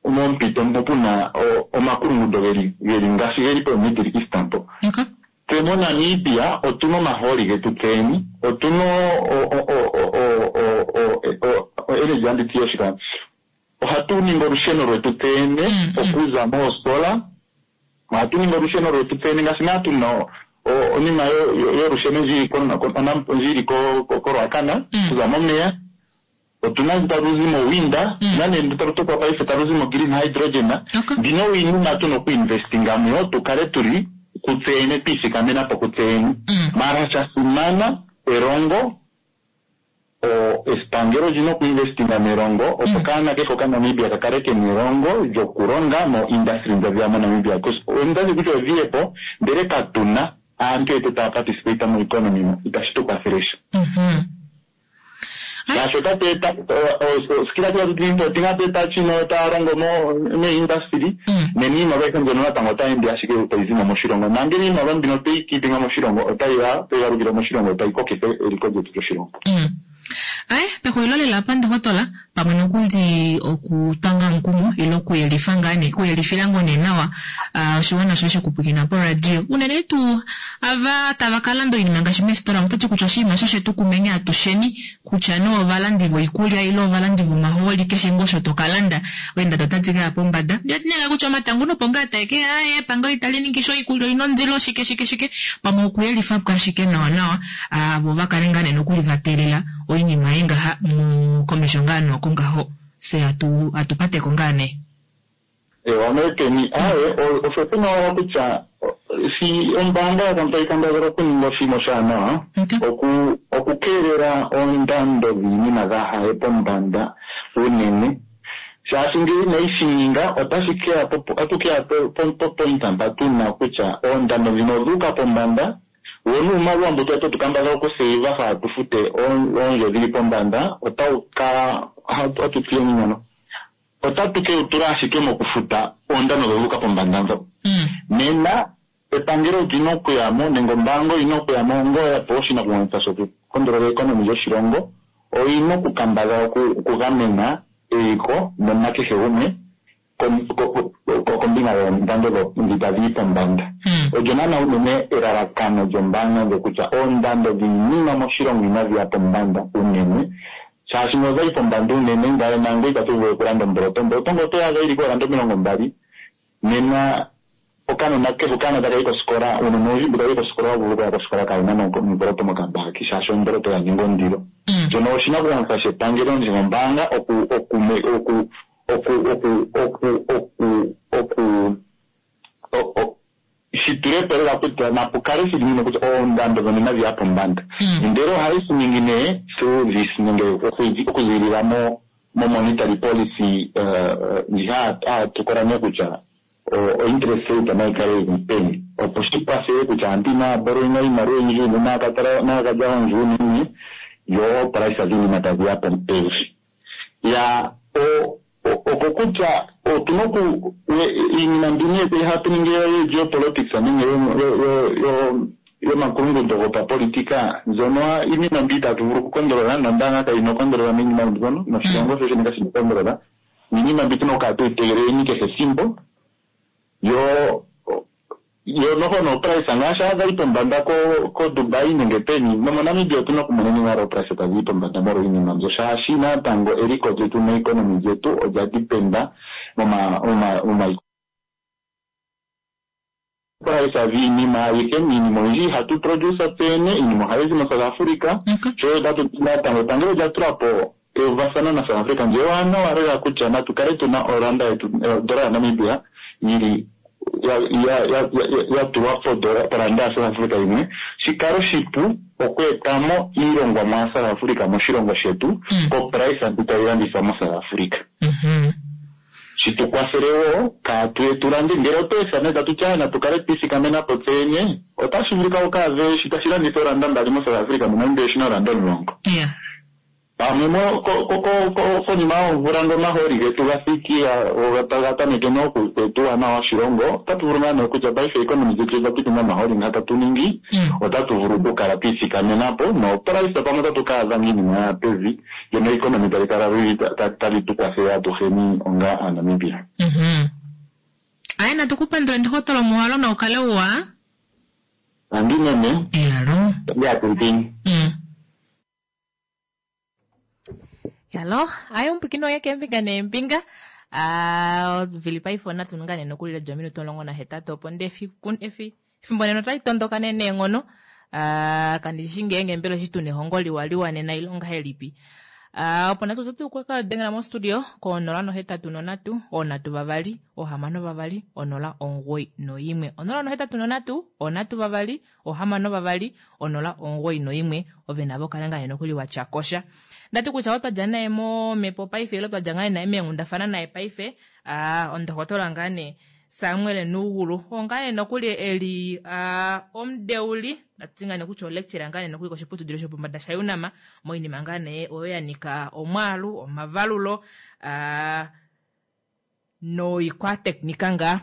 mompito mpo puna o- omakulungundo geli geli ngaashi geli po Middle East mpo. Okay. Tse moNamibia otuna omahooli getu tseni, otuna o- o- o- o- o- o- o- o- energy anditi yoshika. Ohatu ningi olusheno lwetu tsene Mm, mm. okuza moosola, ohatu ningi olusheno lwetu tsene ngaashi naa tuna o- o- onima yo- yo- yolusheno ndji ili ko- ko- onam- ndji ili ko- ko- koRuacana Mm. okuza momeya. Otuna ndu talu zi mowinda, Mm. nane ndu talu tokwa paife talu zi mo green hydrogen. Okay. Mbino iinima tuna okuinvestinga muyo tukale tuli kutseyene twiithikamena po kutseyene. Mm. Mara sha simana elongo, o epangelo lina okuinvestinga melongo opo Mm. kaana kehe okaNamibia ka kale kena elongo lyokulonga mo industry ndjo dhiya moNamibia. 'Cause ondadhi kutya odhiye po ndele katuna aantu yetu taya participate mo economy mo, itashi tu kwathele sha. Mhm. Ai. Ngaashi otatu eta oskila tatu tinga tu eta China taya longo mo meindustry Mm. nena iimaliwa ayihe mbyono natango otayi ende ashike tayi zimo moshilongo, nangele iimaliwa mbino tweyi keepinga moshilongo otayi ya tayi galukile moshilongo tayi kokitha eliko lyetu lyoshilongo. Mm. Ai, pexulilo lela apa ndohotola pamwe nokuli okutwanga omukumo ile okuyelifa ngaa nee okuyelifila ngoo nee nawa ah, oshiwana shoye shokupwilikina poradio unene tuu ava tava ka landa oinima ngaashi meesitola otati kutya oshinima osho shetu kumeni atusheni kutya nee ovalandi voikulya ile ovalandi vomahooli keshe ngoo osho toka landa oendado otadi kaya pombada ndiotinega kutya omatango nopo ngaa taeke aye epangelo itali ningi sho oikulya oina ondilo shike shike shike pamwe okuyelifa po ashike nawa nawa ah, vo vakale ngaa nee nokuli va teelela oinima ei ngaha mu komesho ngaa nokungaho se atu atupateko ngaa nee. Ewa mekeni aye osho tuna wala kutya o- si ombaanga yakambo tayi kambadhala okuninga oshinima oshaanawa Okay. oku okukeelela oondando dhiinima dha haye pombanda unene, shaashi ngele inayi shi ninga otashi keya po otatu keya po- po- po point mpa tuna kutya oondando dhino odhuuka pombanda wo nuumaliwa mbu twali kambadhala okuseiva haa tufute oon- oondjo dhili pombanda otawu kala hatu tiyeni nyono otatu ke wu tula ashike mokufuta oondando dhodhuuka pombanda ndho. Mm. Nena epangelo olina okuyamo nenge ombaanga oyina okuyamo onga ya pewa oshinakugwanithwa shokukondolola economy lyoshilongo, oyina okukambadhala oku- okugamena eliko nonakehe gumwe kom- ko- ko- kombinga yoondando dho- ndhi tadhi yi pombanda. Mm. Olyo naana unene elalakano lyombaanga ndjo kutya oondando dhiinima moshilongo inadhi ya pombanda unene, shaashi ngele odhayi pombanda unene ngaye nangwe itatu vulu okulanda omboloto. Omboloto ngele otoyi adha yili koolanda omilongo mbali, nena okanona kehe okanona taka yi kosikola uunona owundji mbu tawu yi kosikola owa vulu okuya kosikola kawuna nomboloto mokambaki shaashi omboloto ya ninga ondilo. Mm. Shono oshinakugwanithwa shepangelo nenge ombaanga oku oku oku oku oku oku oku oku o- o- shi tulepo lela kutya napu kale shili nino kutya oondando dhono inadhi ya pombanda. Mm. Ndele ohayi shi ningi nee through this nenge okuzi- okuzilila mo mo monetary policy eh, ndji hatukola nee kutya o- o interest rate nayi kale yili peni opo shi kwathele kutya aantu inaya borrowinga iimaliwa oyindji unene naya naya kalya oondjo unene yo ooprice dhiinima tadhi ya po- pevi. Ya o- o- oko kutya otuna oku we- iinima mbino yetu happening yo geopolitics nenge yo- yo- yo- yo- yomakulungundo gopapolitika mbyono iinima mbi itatu vulu okukondolola nombaanga kayina okondolola miinima mbyono noshilongo sho shene kashina okondolola niinima mbi tuna okukala tuyi tegeleleni kehe ethimbo yo yo noho nooprice ngaashi adha yi pombanda ko ko Dubai nenge peni nomoNamibia otuna okumona nale ooprice tadhi yi pombanda molwa iinima mbyo shaashi natango eliko lyetu neeconomy lyetu olya dependa moma moma moma Price dhiinima ayihe, iinima oyindji ihatu produce tseyene, iinima ohayi zi moSouth Africa. Sho tatu natango epangelo olya tula po euvathano naSouth Africa ndje ewanawa lela kutya natu kale tuna oranda yetu, odola yaNamibia yili ya ya ya ya tulwa podola poranda yaSouth Africa yimwe, shi kale oshipu okweetamo iilongwamwa yaSouth Africa moshilongo shetu koprice mbi tayi landithwa moSouth Africa. Shi tu kwathele wo kaatu ye tu lande, ngele otwa etha nee tatu ti aaye natu kale twi ithikamena po tse yene, otashi vulika wu ka adhe shi tashi landithwa ooranda mbali moSouth Africa, moNamibia oshi na ooranda omulongo. Pamwe mo, ko, ko, ko, ko, konima yoomvula ngele omahooli getu ga thiki, go taga tameke nee oku eta uuwanawa woshilongo, otatu vulu ngaa nee kutya paife economy lyetu olya piti momahooli nga tatu ningi, otatu vulu okukala twi ithikamena po, nooprice pamwe otatu ka adha ngaa iinima ya ya pevi, lyo neconomy tali kala li tali tu kwathele atuheni onga Aanamibia. Aye natu ku pandule ndohotola omuhalo na ukale uwa. Tangi meme. Iyalo. Tangi. Yalo, aye omupwikini wange keembinga neembinga. Ah, vili paife onatu ngaa nee nokuli lya ominute omulongo nahetatu opo ndee efiku efi efimbo nena otali tondoka nee neenghono. Ah, kandi shi ngeenge mbela eshi tuna ehongo liwa liwa nena ile ongahelipi. Ah, opo natu oto dulu okukadengela mostudio ko nola nohetatu nonhatu, oonhatu vavali, oohamano vavali, onola omugoyi noimwe. Onola nohetatu nonhatu, oonhatu vavali, oohamano vavali, onola omugoyi noimwe. Ove navo kala ngaa nee nokuli watya kosha. Ndati kutya oo twadja naye momhepo paife ile twadja ngaa naye meenghundafana naye paife, aa ondohotola ngaa nee Samuel Nuugulu oo ngaa nee nokuli eli aa omudeuli natu ngaa nee kutya olecturer ngaa nee nokuli koshiputudilo shopombada shaUNAM moinima ngaa nee oyo ya nyika omwaalu, omavalulo aa noikwateknika ngaa.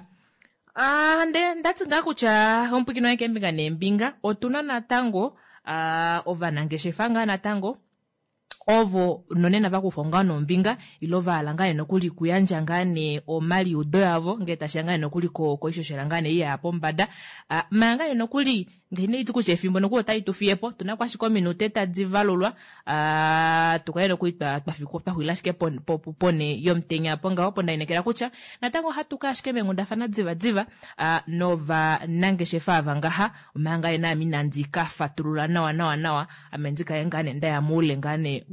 Aa nde ndati ngaa kutya omupwikini wange keembinga neembinga otuna natango aa ovanangeshefa ngaa natango ovo nonena vakufa ngaa nombinga ile vahala ngaa nee nokuli kuyandja ngaa nee omaliudo yavo ngee tashiya ngaa nee nokuli koishoshela ngaa nee iya pombada. Uh, manga ngaa nee nokuli ngee inandi kutya efimbo nokuli otali tu fiye po, otuna ko ashike ominute tadi valulwa, uh, tukale nokuli twaxulila ashike pone yomutenya apo ngaho, opo ndalinekela kutya natango ohatu kaya ashike meenghundafana diva diva uh, novanangeshefa ava ngaha, omanga nee naame inandi ka fatulula nawa nawa nawa, ame ndikale ngaa nee ndaya moule ngaa nee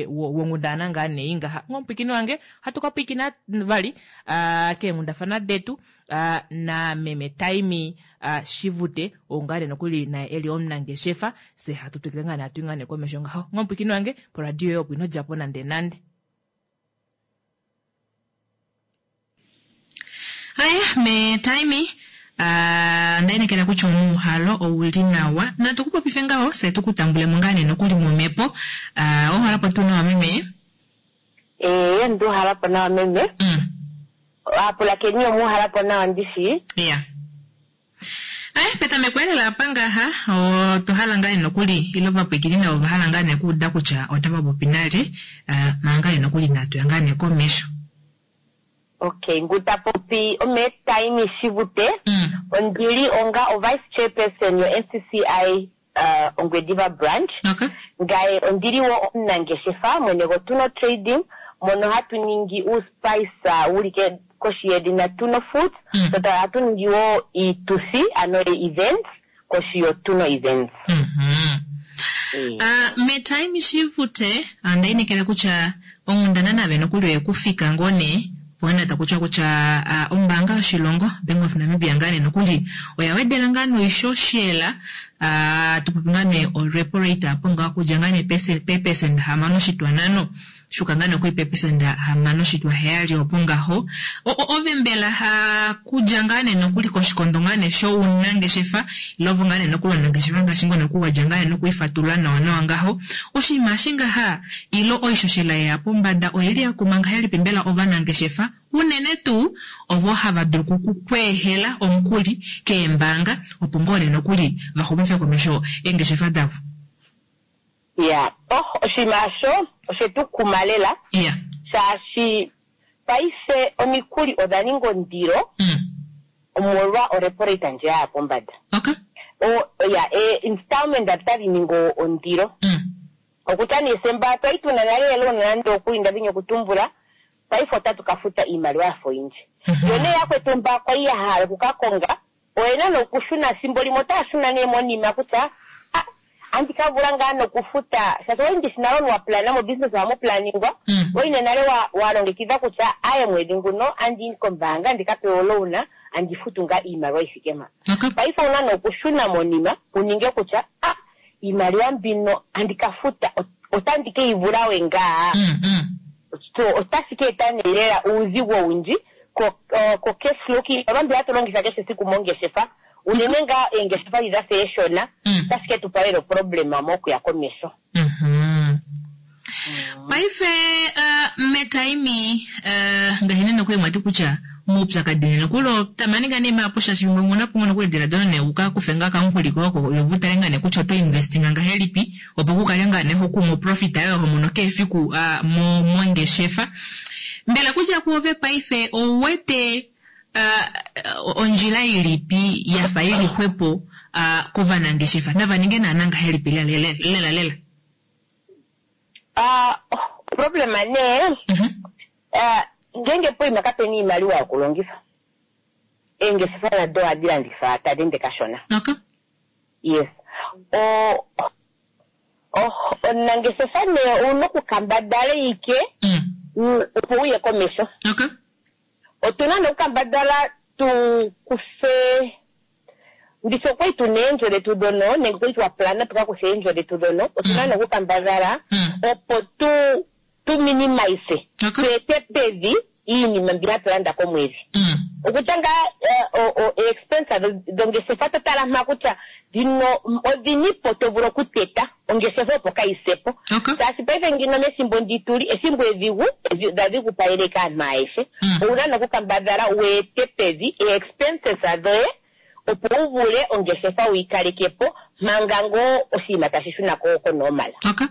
wonghundana ngaa nee ngaha. Ngomupwikini wange ohatu ka pwikina vali uh, keenghundafana detu uh, na meme Taimi uh, Shivute oo ngaa nee nokuli naye eli omunangeshefa, se hatu twikile ngaa nee hatu i ngaa nee komesho ngaho. Ngomupwikini wange poradio yoye opo ino djapo nande nande. Aye me Taimi uh, ndainekela kutya omuuhalo ouli nawa, natu kupopife ngaho se tukutambulemo ngaa nee nokuli momhepo. Uh, ouhalapo tuu nawa meme? Ee, nduuhalapo nawa meme. Mm. Aapulakeni omuuhalapo nawa ndishi? Iya. Aye, petameko elela apa ngaha otwa hala ngaa nee nokuli ile ovapwikini navo ova hala ngaa nee okuuda kutya otava popi nalye, uh, manga ngaa nee nokuli inatu ya ngaa nee komesho. Okay, ngu ta popi ome Taimi Shivute. Mm. Ondili onga o vice chairperson yo N C C I uh, Ongwediva branch. Okay. Ngaye ondili wo omunangeshefa mwene goTuno Trading mono hatu ningi uuspice wuli koshi yedhina Tuno Foods. Mm. So hatu ningi wo iituthi ano events koshi yoTuno Events. Mm -hmm. Mm. Uh, me Taimi Shivute andainekela kutya onghundana nave nokuli oyekufika ngoo nee pona takutya kutya uh, ombaanga yoshilongo Bank of Namibia ngaa nee nokuli oya wedela ngaa noishoshela uh, tupopi ngaa nee o repo rate apo ngaa okudja ngaa nee peepesenda hamano oshitwa nhano shuka ngaa nokuli peepesenda hamano oshitwa heyali opo ngaho. Ove mbela kudja ngaa nee nokuli koshikondo ngaa nee shounangeshefa ile ovo ngaa nee nokuli omunangeshefa ngaashi ngoo nokuli wadja ngaa nee nokuifatulula nawa nawa ngaho, oshinima eshi ngaha ile oishoshela yeya pombada oyeli yakuma ngahelipi mbela ovanangeshefa unene tuu ovo hava dulu okukweehela omukuli keembaanga opo ngoo nee nokuli vaxumife komesho eengeshefa davo? Ya, oh, oshinima osho oshetu kuma lela. Iya. Shaashi paife omikuli odha ninga ondilo Mm. omolwa orepo rate ndje yaya pombada. Okay. O, ya, e, installment otadhi ningi ondilo. Mm. Okutya nee semba twali tuna nale eloan nande okuli ndadhini okutumbula, paife otatu ka futa iimaliwa yafa oyindji. Mm -hmm. Yo nee yakwetu mba kwali ya hala okuka konga Oyena nokushuna thimbo limwe otaya shuna nee monima kutya ah, andi ka vula ngaa nokufuta shaashi owali ndishi nale wa plana mo business ohamu planingwa Mm. waine nale wa- wa longekidha kutya aye mwedhi nguno andi kombaanga ndika pewe olouna andi futu ngaa iimaliwa yi thike mpa. Okay. Paife owuna nokushuna monima uninge kutya ah iimaliwa mbino andi ka futa ot- otandi ke yi vula we ngaa. Mm, mm. So otashi ka eta nee lela uudhigu owundji ko o- ko cash flow kiimaliwa mbi hatu longitha kehe esiku mongeshefa unene ngaa eengeshefa dhi dha fa eeshona Mm. otashi ke tu pa lela oproblema mokuya komesho. Mhm. Paife uh, metaimi uh, ngaashi nokuli mwati kutya muupyakadhi nena kulo tamaninga nee maapo shaashi imwe omuna po nokuli edhiladhilo nee wuka kufe ngaa kamukuli koye oko yo tale ngaa nee kutya oto investinga ngahelipi opo ku kale ngaa nee hokumu profit yoye ho mono kehe efiku uh, mo- mongeshefa. Mbela kutya kuove paife ouwete uh, ondjila ilipi yafa ili xwepo uh, kovanangeshefa nava ninge naana ngahelipi lela lela lela? Ah, problema nee Mhm. ah, ngenge poima kapena iimaliwa yokulongitha eengeshefa nado ohadhi landitha tadhi ende kashona. Okay. Yes. O o- omunangeshefa nee owuna okukambadhala ike Mm. u- opo wuye komesho. Okay. Otuna nokukambadhala tu kufe ndishi okwali tuna eendjo dhetu dhono nenge okwali twa plana tuka kuthe eendjo dhetu dhono otuna nokukambadhala Mm. opo tu tu minimize Okay. tu ete pevi iinima mbi hatu landa komwedhi. Mm. Okutya ngaa eh, o- o- expense dhongeshefa to tala mpa kutya dhino odhinipo to vulu okuteta ongeshefa opo kayi sepo. Okay. Shaashi paife ngino methimbo ndi tuli ethimbo edhigu edhi- dhadhigupalele kaantu ayehe. Mm. Owuna nokukambadhala wu ete pevi expenses dhoye opo wu vule ongeshefa wuyi kaleke po manga ngoo oshinima tashi shuna ko konormal. Okay.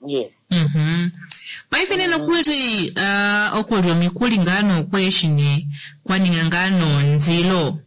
Yes. Mhm. Paife nena okuli uh, okulya omikuli ngaa nookweshi nee kwaninga ngaa nonzilo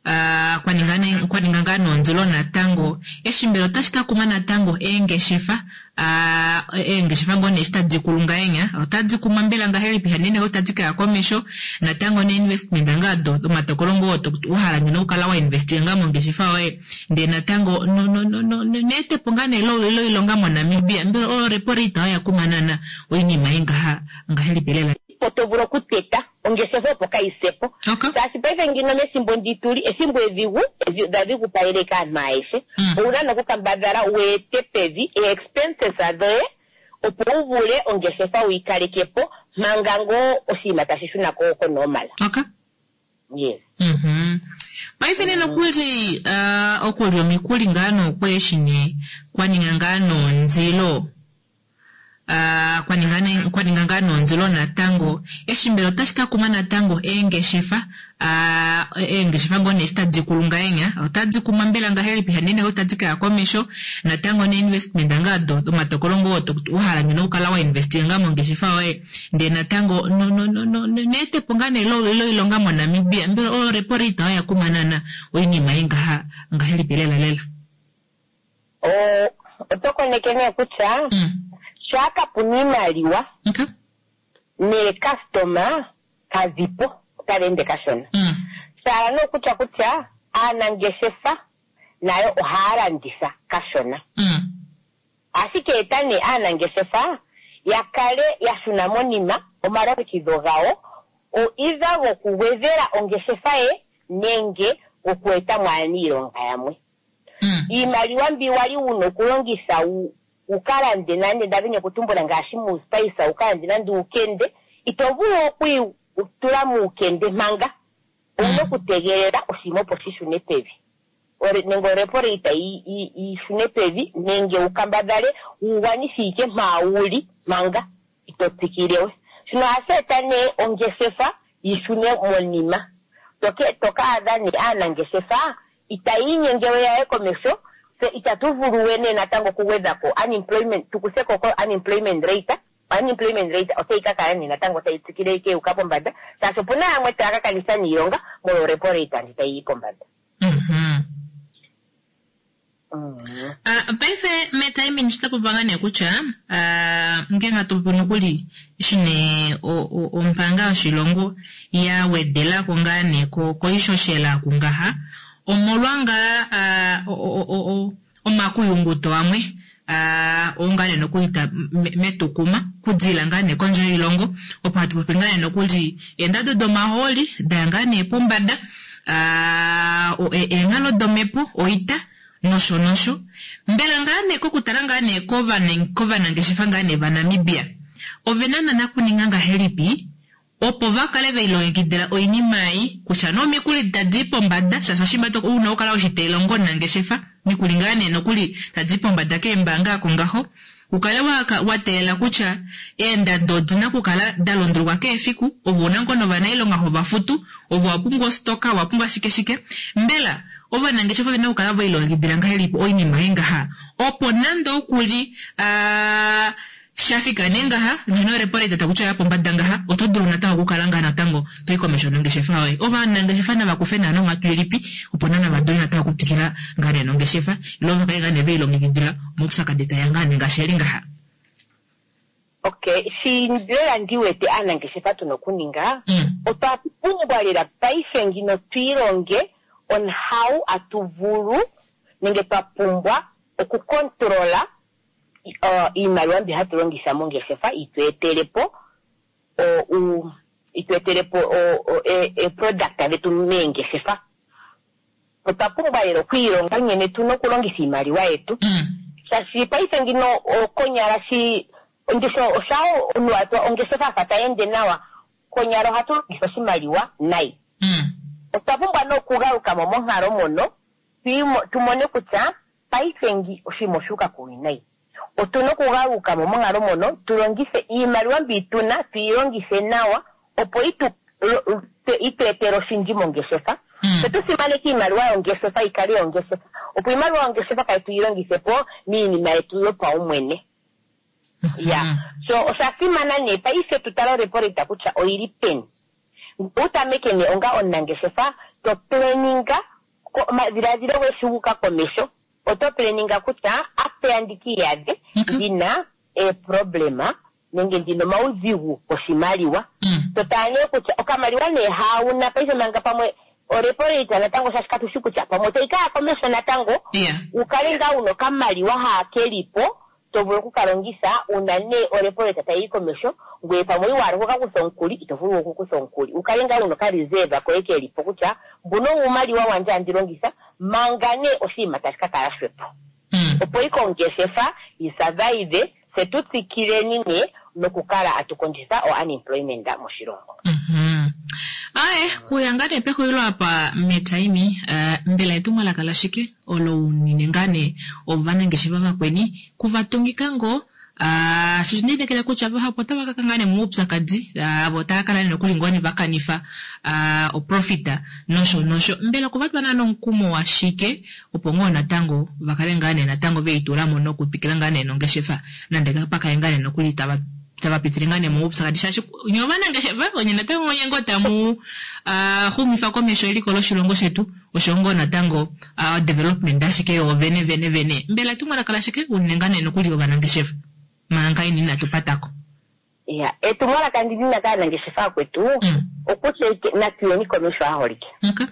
uh, kwaninga ne- kwaninga ngaa nonzilo natango eshi mbela otashi ka kuma natango eengeshefa uh, eengeshefa ngoo nee eshi tadi kulu ngahenya otadi kumwa mbela ngahelipi hanene otadi kaya komesho natango ne-investment ngaa do omatokolo ngoo to- wahala ngeno okukala wa investinga ngaa mongeshefa yoye ndee natango no- no- no- no- no- neetepo ngaa nee lo- loilonga moNamibia mbela oyo repo rate oya kuma naana oinima ei ngaha ngahelipi lela? Po to vulu okuteta ongeshefa opo kayi sepo. Okay. Shaashi paife ngino methimbo ndi tuli ethimbo edhigu edhi- dhadhigupalele kaantu ayehe. Mm. Owuna nokukambadhala wu ete pevi expenses dhoye opo wu vule ongeshefa wuyi kaleke po manga ngoo oshinima tashi shuna ko konormal. Okay. Yes. Mhm. Paife nena okuli uh, okulya omikuli ngaa nookweshi nee kwaninga ngaa nonzilo uh, kwaninga ne- kwaninga ngaa nonzilo natango eshi mbela otashi ka kuma natango eengeshefa uh, eengeshefa ngoo nee eshi tadi kulu ngahenya otadi kumwa mbela ngahelipi hanene otadi kaya komesho natango ne-investment ngaa do omatokolo ngoo to- wahala ngeno okukala wa investinga ngaa mongeshefa yoye ndee natango no- no- no- no- no- neetepo ngaa nee lo- loilonga moNamibia mbela oyo repo rate oya kuma naana oinima ei ngaha ngahelipi lela lela? O- Oto koneke nee kutya Mm. shaa kapuna iimaliwa Okay. neekastoma kadhipo otadhi ende kashona. Mm. Shala nokutya kutya aanangeshefa nayo ohaya landitha kashona. Mm. Ashike eta nee aanangeshefa ya kale ya shuna monima omalongekidho gawo o either gokugwedhela ongeshefa ye nenge goku eta mo aaniilonga yamwe. Mm. Iimaliwa mbi wali wuna okulongitha wu wu ka lande nande ndadhini okutumbula ngaashi muuspice wu ka lande nande uukende ito vulu okuyi tula muukende manga owuna okutegelela oshinima opo shi shune pevi. Ore- nenge orepo rate yi- yi yi shune pevi nenge wu kambadhale wu gwanithe ike mpa wuli manga ito tsikile we. Shino ohashi eta nee ongeshefa yi shune monima. Toke toka adha nee aanangeshefa itaya inyenge we yaye komesho tse itatu vulu we nee natango okugwedha ko unemployment tukuthe ko ko unemployment rate unemployment rate otayi ka kala nee natango tayi tsikile ike yuuka pombanda shaashi opuna yamwe taya ka kanitha niilonga molwa orepo rate ndi tayi yi pombanda. Mhm. Ah, paife metaimini shitapopa ngaa nee kutya ah, ngenge hatu popi nokuli eshi nee o- o- ombaanga yoshilongo ya wedelako ngaa nee ko- koishoshela kungaha omolwa ngaa ah, o- o- o- o- omakuyunguto amwe ah, oo ngaa nee nokuli ta- me- metukuma kudila ngaa nee kondje yoilongo opo hatu popi ngaa nee nokuli eendado domahooli daya ngaa nee pombada ah, o- e- eenghalo domepo oita nosho nosho mbela ngaa nee kokutala ngaa nee kovane- kovanangeshefa ngaa nee vaNamibia ovena nana kuninga ngahelipi opo vakale veilongekidila oinima ei kutya nee omikuli tadi i pombada shaashi oshinima to- una okukala weshiteelongo omunangeshefa mikuli ngaa nee nokuli tadi i pombada keembaanga ako ngaho ukale wa, wa teelela kutya eendado odina okukala da londuluka keefiku ove una ngoo novanailonga hova futu ove wa pumbwa ostoka wa pumbwa shike shike mbela ovanangeshefa ovena okukala veilongekidila ngahelipi oinima ei ngaha opo nande okuli aa shafika nee ngaha ngeno repo rate takutya ya pombada ngaha oto dulu natango okukala ngaa natango toyi komesho nongeshefa yoye ovanangeshefa nava kufe naana onghatu ilipi opo nana va dule natango okutwikila ngaa nee nongeshefa ile vakale ngaa nee veilongekidila omaupyakadi taeya ngaa nee ngaashi eli ngaha. Okay, shi lela ndi wete aanangeshefa tuna okuninga Mm. otwa pumbwa lela paife ngino twiilonge on how atu vulu nenge twa pumbwa okukontrola uh, iimaliwa mbi hatu longitha mongeshefa itu etele po o- u- itu etele po o- o- e- e-product dhetu meengeshefa. Otwa pumbwa lela okwiilonga nkene tuna okulongitha iimaliwa yetu Mm. shaashi paife ngino konyala shi ndisho oshawo omunhu atwa ongeshefa afa tayi ende nawa konyala ohatu longitha oshimaliwa nayi. Mm. Otwa pumbwa nee okugaluka mo monghalo mono tuimo- tumone kutya paife ngi oshinima oshuuka kuwinayi. Otuna okugaluka mo monghalo mono tulongithe iimaliwa mbi tuna tuyi longithe nawa opo itu lo- te- itu etele oshindji mongeshefa. Mm. Tse tu simaneke iimaliwa yongeshefa yikale yongeshefa opo iimaliwa yongeshefa kayi tuyi longithe po miinima yetu yopaumwene. Ya, Mm. so osha simana nee paife tu tale orepo rate kutya oyili peni. Utameke nee onga omunangeshefa to planinga omadhiladhilo goye shi guuka komesho oto planinga kutya apeya ndika iyadhe Okay. ndina eeproblema nenge ndina omaudhigu goshimaliwa. Mm. To tala nee kutya okamaliwa nee hauna paife manga pamwe orepo rate natango shaashi katushi kutya pamwe otayi kaya komesho natango Yeah. ukale ngaa una okamaliwa haa kelipo to vulu okukalongitha una nee orepo rate tayi yi komesho ngoye pamwe iwahala okukakutha omukuli ito vulu okukutha omukuli ukale ngaa una okareserve koye kelipo kutya mbuno uumaliwa wandje handi longitha manga nee oshinima tashi ka kala xwepo Mm. opo ike ongeshefa yi survive tse tu tsikileni nee nokukala atu kondjitha o unemployment moshilongo. Mhm. Aye, kuya ngaa nee pexulilo apa metaimi uh, mbela etumwalaka lashike olo unine ngaa nee ovanangeshefa vakweni kuvatungika ngoo Uh, shi ndinekela kutya vahapu otava kaka ngaa nee moupyakadi avo otava kala nee nokuli ngoo nee vakanifa uh, oprofita nosho nosho mbela okuvatwa naa nomukumo washike opo ngoo natango vakale ngaa nee natango veitulamo nokutwikila ngaa nee nongeshefa nande pakale ngaa nee nokuli tava tava pitile ngaa nee moupyakadi shaashi nye ovanangeshefa onye natango onye ngoo tamu uh, xumifa komesho eliko loshilongo shetu osho ngoo natango uh, development ashike yo vene vene vene mbela etumwalaka lashike unene ngaa nee nokuli ovanangeshefa manga ini inatu patako. Ya, etumwalaka ndi lina kaanangeshefa akwetu Mm. okutya ike natuyeni komesho aholike. Okay.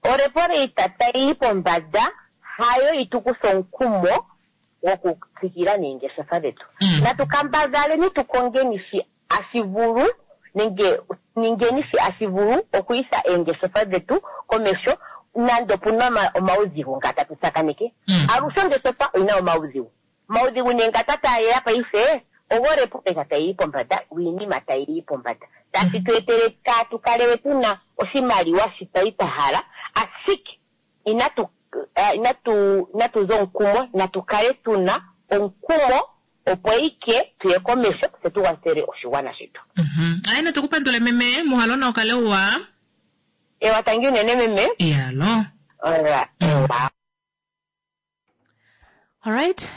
Orepo rate tayi yi pombada hayo itukutha omukumo wokutsikila neengeshefa dhetu. Mm. Natu kambadhaleni tu kongeni shi ashi vulu nenge ningeni shi ashi vulu okuyisa eengeshefa dhetu komesho nande opuna oma- omaudhigu nga tatu tsakaneke. Mm. Alushe ongeshefa oyina omaudhigu. Omaudhigu nee nga tatayeya paife ogo repo rate tayi yi pombada wiinima tayi yi pombada tashi tu etele kaatu kale we tuna oshimaliwa shi twali twa hala ashike inatu eh, inatu inatu za omukumo natu kale tuna omukumo opo ike tuye komesho tse tu kwathele oshigwana shetu. Mhm. Aye natukupandule meme muhalo na ukale uwa Ewa tangi unene meme. iyalo. Ora, ewa. Alright.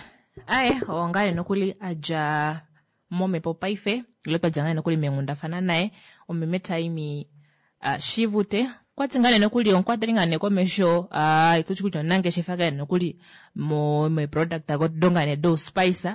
Aye, ongale nokuli adja momepo paife ile twadja ngaye nokuli meenghundafana naye omeme Taimi uh, Shivute Okwati ngaa nee nokuli omukwateli ngaa nee komesho uh, itushi kutya omunangeshefa ngaa nee nokuli mo me product do ngaa nee do spice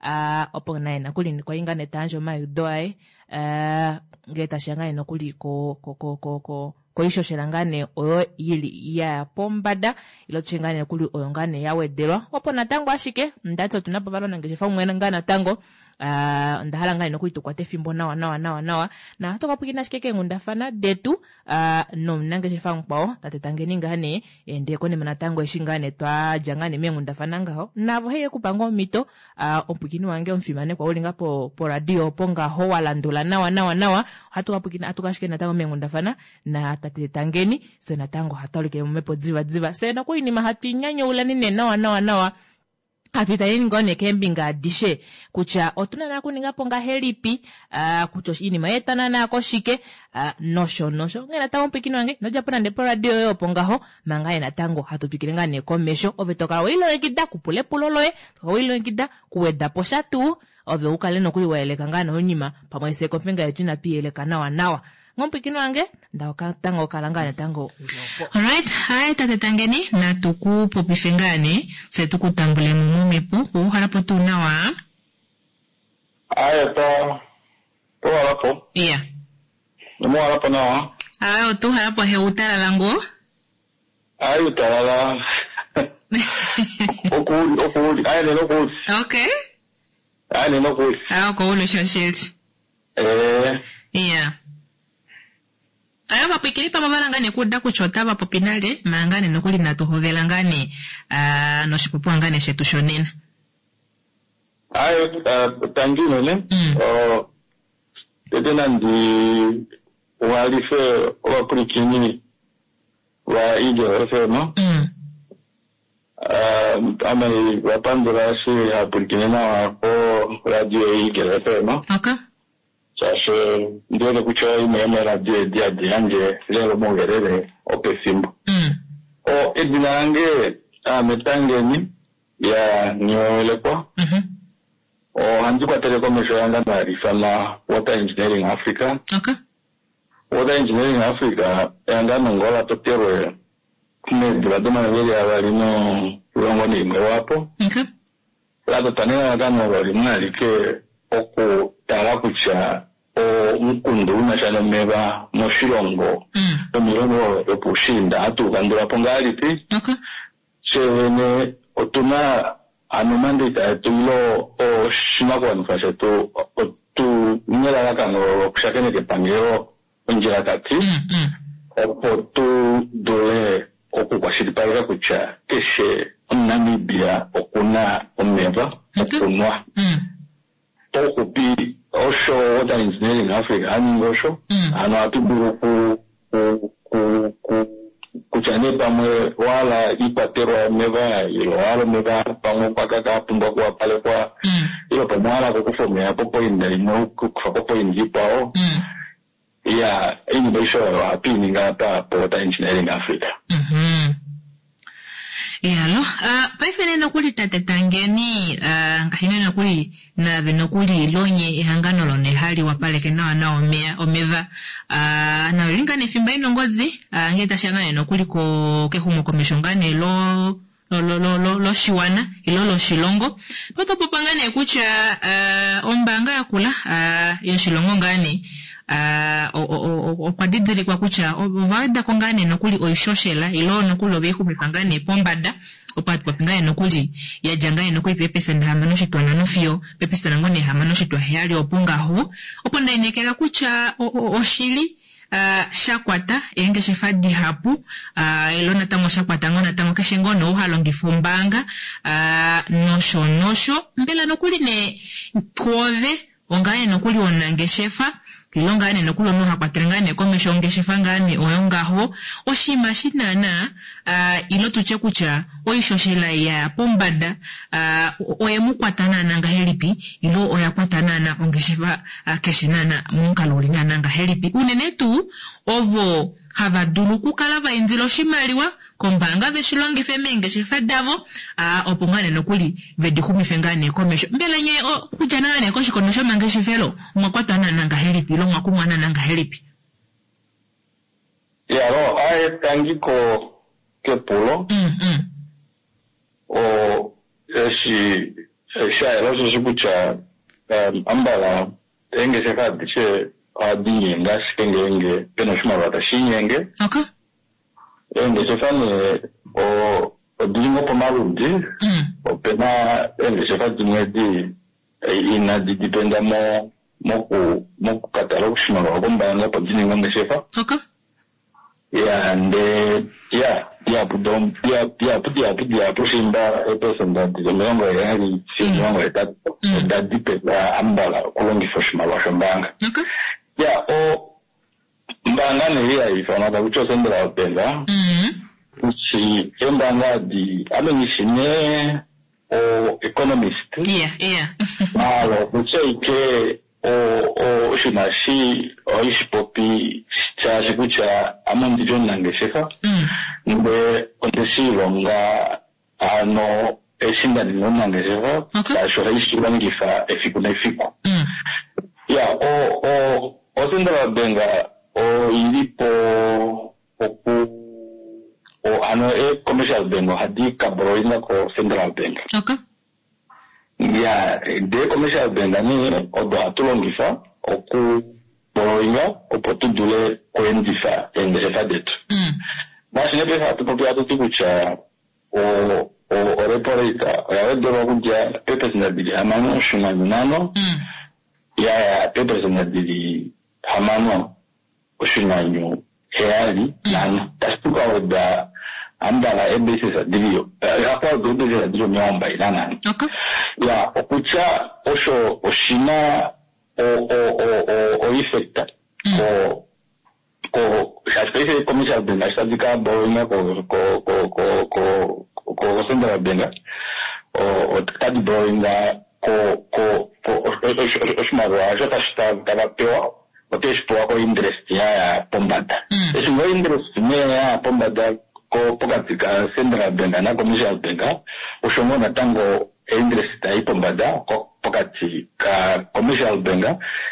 uh, opo naye nokuli kwali ngaa nee tayandje omayudo aye uh, ngele tashiya ngaa nee nokuli ko ko ko ko ko koishoshela ngaa nee oyo yili ya pombada ilo tutye ngaa nee nokuli oyo ngaa nee ya wedelwa opo natango ashike ndati otuna po vali omunangeshefa umwe ngaa natango uh, onda hala ngaa nee nokuli tukwate efimbo nawa nawa nawa nawa na ohatu ka pwiikina ashike keenghundafana detu uh, nomunangeshefa mukwao tate Tangeni ngaa nee ndee konima natango eshi ngaa nee twadja ngaa nee meenghundafana ngaho navo heye kupa ngoo omhito uh, omupwiikini wange omufimanekwa uli ngaa po poradio opo ngaho walandula nawa nawa nawa ohatu ka pwiikina atuka ashike natango meenghundafana na tate Tangeni se natango ohatu alikile momhepo diva diva se nokuinima hatu inyanyaulani nee nawa nawa nawa hatu italeni ngoo nee keembinga adishe kutya otuna naa kuninga po ngahelipi uh, kutya iinima yeeta naanaa koshike uh, nosho nosho onghee natango omupwiikini wange inodjapo nande poradio yoye opo ngaho manga ye natango hatu twikile ngaa nee komesho ove tokala weilongekida kupula epulo loye tokala weilongekida kuweda po sha tuu ove ukale nokuli wayeleka ngaa noinima pamwe se kombinga yetu inatu iyeleka nawa nawa ngomupwiikini wange ndatango kala ngaa natango ulopo. Alright, hai tate Tangeni, natu ku popife ngaa nee, se tu ku tambulemo momhepo, ouhalapo tuu nawa? Aye, to towalapo. Iya. Nomuwalapo nawa. Aye, otuuhalapo he utalala ngoo? Aye, utalala. Okuuli, okuuli, aye nena okuuli. Okay. Aye nena okuuli. Aye, okouli oshoshili. Eh, Iya. Aye, ovapwiikini pamwe ova ngaa nee kuuda kutya otava popi nale, manga ngaa nee nokuli natu hovela ngaa nee ah, noshipopiwa ngaa nee shetu shonena. Aye, uh, tangi unene. Mm. Oh, tete nandi walife ovapwiikini va Eagle F M. Mm. Uh, ame vapandula eshi hapwiikine nawa ko radio Eagle F M. Okay. Shaashi ndiwete kutya imwe yomeeradio edi hadi yandje lelo omauyelele opefimbo. Mm. O edina lange ame Tangeni ya Nghiyolekwa. Mhm. Ohandi kwatele komesho ehangano hali ifanwa Water Engineering Africa. Okay. Water Engineering Africa ehangano ngoo la totelwe meedula domayovi avali nomulongo naimwe lwaapo. Okay. La totwa nelalakano olo limwe alike okutala kutya omukundu unasha nomeva moshilongo Mm. nomilongo yopuushiinda ohatu ukandula po ngahelipi. Okay. Fyee otuna ano mandate yetu ilo oshinakuwanifwa shetu otu nelalakano lokushakeneka epangelo ondjilakati Mm, mm. opo tu dule okukwashilipaleka kutya keshe omuNamibia okuna omeva Okay. okunwa. Mm. Pauxupi osho Water Engineering Africa haningi osho Mm. ano ohatu dulu ku ku ku ku kutya nee pamwe owahala iikwatelwa yomeva ilo owahala omeva pamwe okwakaka apumbwa okuwapalekwa Mm. ilo pamwe owahala okukufa omeya popoinda imwe okukufa popoinda ikwao. Mm. Ya, iinima aishe oyo ohatu iningi apa po Water Engineering Africa. Mhm. Yalo, uh, paife nee nokuli tate Tangeni, uh, ngaashi nee nokuli nave nokuli lonye ehangano lone hali wapaleke nawa nawa omeya omeva uh, nalo li ngaa nee efimbo inongodzi uh, ngee tashiya ngaa nee nokuli ko kexumokomesho ngaa nee lo lo lo lo loshiwana ilo loshilongo potopopa ngaa nee kutya uh, ombaanga yakula uh, yoshilongo ngaa nee uh, okwa didilikwa kutya ova wedako ngaa nee nokuli oishoshela ilo nokuli oveixumifa ngaa nee pombada opo hatu popi ngaa nee nokuli yadja ngaa nee nokuli peepesenda hamano oshitwa nhano fiyo peepesenda ngoo nee hamano oshitwa heyali opo ngaho opo ndainekela kutya oshili uh, shakwata eengeshefa dihapu uh, ilo natango shakwata ngoo natango keshe ngoo nee ou halongifa ombaanga uh, nosho nosho mbela nokuli nee kwoove ongaa nee nokuli omunangeshefa ilo ngaa nee nokuli omunhu hakwatele ngaa nee komesho ongeshefa ngaa nee oyo ngaho oshinima shi naana uh, ilo tutye kutya oishoshela yaya pombada uh, oye mu kwata naana ngahelipi ilo oya kwata naana ongeshefa uh, keshe naana momukalo uli naana ngahelipi unene tuu ovo hava dulu okukala va indila oshimaliwa kombaanga veshi longife meengeshefa davo uh, opo ngaa nee nokuli vedi xumife ngaa nee komesho mbela nye okudja naa nee koshikondo shomangeshefelo omwa kwatwa naana ngahelipi ilo omwa kumwa naana ngahelipi? Yalo, Aye tangi ko kepulo Mm, mm. o eshi shayela osheshi kutya um, ambala eengeshefa adishe ohadi nyenge ashike ngeenge pena oshimaliwa tashi nyenge Okay. eengeshefa nee o- odili ngoo pamaludi Mm. opena eengeshefa dimwe di inadi dipenda mo moku mokukatala oshimaliwa kombaanga opo di ninge ongeshefa Okay. ya nde ya dihapu do- diha- dihapu dihapu dihapu shimba eepesenda dili omilongo heyali fiyo omilongo hetatu Mm. oda dipenda ambala okulongifa oshimaliwa shombaanga Okay. ya o ombaanga nee hayi ifanwa takutya ocentral bank Mm. ishi eembaanga adi ame ngishi nee o economist Yeah, yeah. maala okutya ike o- o- oshinima shi ohashi popi shaashi kutya ame ondili omunangeshefa Mm. nde onde shi ilonga ano eshi nda ninga omunangeshefa Okay. shaashi ohaishi longifa efiku nefiku Mm. ya o o ocentral bank oili po oku o ano e commercial bank ohadi ka borrowinga ko central bank Okay. ya de commercial bank nee odo hatu longifa oku borrowinga opo tu dule kuendifa eengeshefa detu Mm. ngaashi nee paife hatu popi hatu ti kutya o- o- orepo rate oya wedelwa kudja peepesenda dili hamano oshinghwanyu nhano Mm. yaya peepesenda dili hamano oshinghwanyu heyali nhano tashi tukaweda ambala eebasis dili hakwaweda eebasis dili omilongo mbali nanhano Okay. ya okutya osho oshina o- o- o- o- o effect ko ko shaashi paife commercial bank ashi tadi ka borrowinga ko ko ko ko ko ko central bank o- otadi borrowinga ko ko ko oshimaliwa osho tashi ta- tava pewa oteshi pewa ko interest yaya pombada Mm. eshi ngo interest nee yaya pombada ko pokati ka central bank na commercial bank osho ngoo natango interest tayi pombada ko- pokati ka commercial bank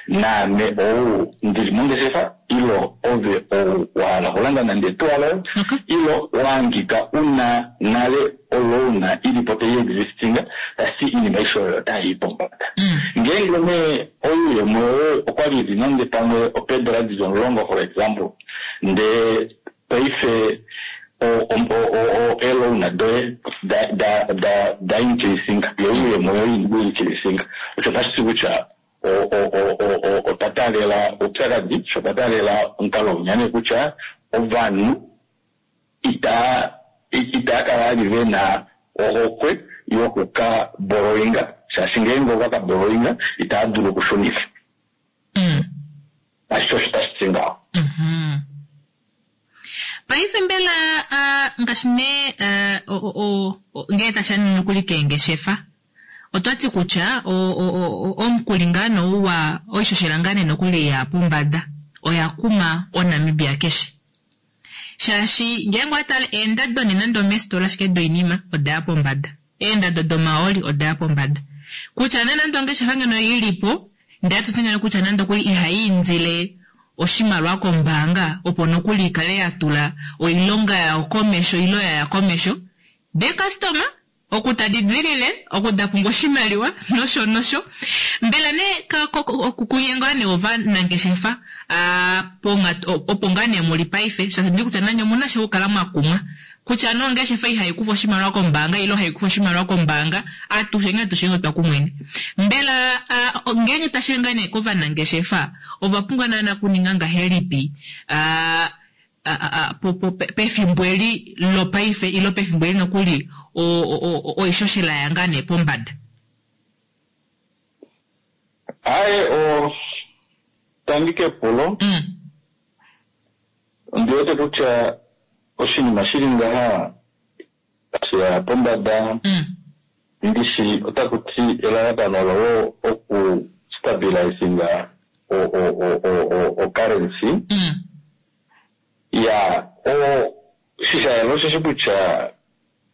naame ou ndili mongeshefa ilo ove ou wahala okulanda nande etuwa loye Okay. ilo waangika una nale oloan ilipo tayi existinga tasi iinima aishe oyo otayi pombada Mm. ngeenge nee ouyemo woye okwali ili nande pamwe opeedola dili omulongo for example ndee paife o- o- o- o- o- eeloan doye da da da da increasinga yo ouyemo woye increasinga osho otashi ti kutya o- o- o- o- o- otwa taalela oupyakadi sho twa taalela omukalo unyane kutya ovanhu itaa itaa kala vali vena ohokwe yokuka borrowinga shaashi ngeenge ova ka borrowinga itaa dulu okushunifa Mm. ashike osho tashi ti ngaho Mhm. Paife mbela ah, ngaashi nee ah, o- o- o- o- ngee tasha nini nokuli keengeshefa otwati kutya o- o- o- o- omukuli ngaa nouwa oishoshela ngaa nee nokuli ya pombada oya kuma oNamibia keshe shaashi ngeenge owatale eendado nee nande omeesitola ashike doinima odaya pombada eendado domaoli odaya pombada kutya nee nande ongeshefa ngeno ilipo ndee atuti ngeno kutya nande okuli ihayiindile oshimaliwa kombaanga opo nokuli ikale yatula oilonga yayo komesho ilo yaya komesho dee customer oku tadi dilile oku da pumbwa oshimaliwa nosho nosho mbela nee ka- ko- ko- kunye ngaa nee ovanangeshefa ah, ponga- opo ngaa nee muli paife shaashi ndi kutya nanye omuna sha okukala mwa kumwa kutya nee ongeshefa ihayi kufa oshimaliwa kombaanga ile hayi kufa oshimaliwa kombaanga atusheni atusheni otwa kumwene mbela ah, ngeenge tashi ngaa nee kovanangeshefa ova pumbwa naana kuninga ngahelipi ah, a- a- a- po- po- pe- pefimbo eli lopaife ilo pefimbo eli nokuli o- o- o- oishoshela ya ngaa nee pombada aye o tangi kepulo mm. ondi wete kutya oshinima shili ngaha sheya pombada Mm. ndishi otaku ti elalakano olo oku stabilizinga o o o o o o currency Mm. ya o shishayela osheshi kutya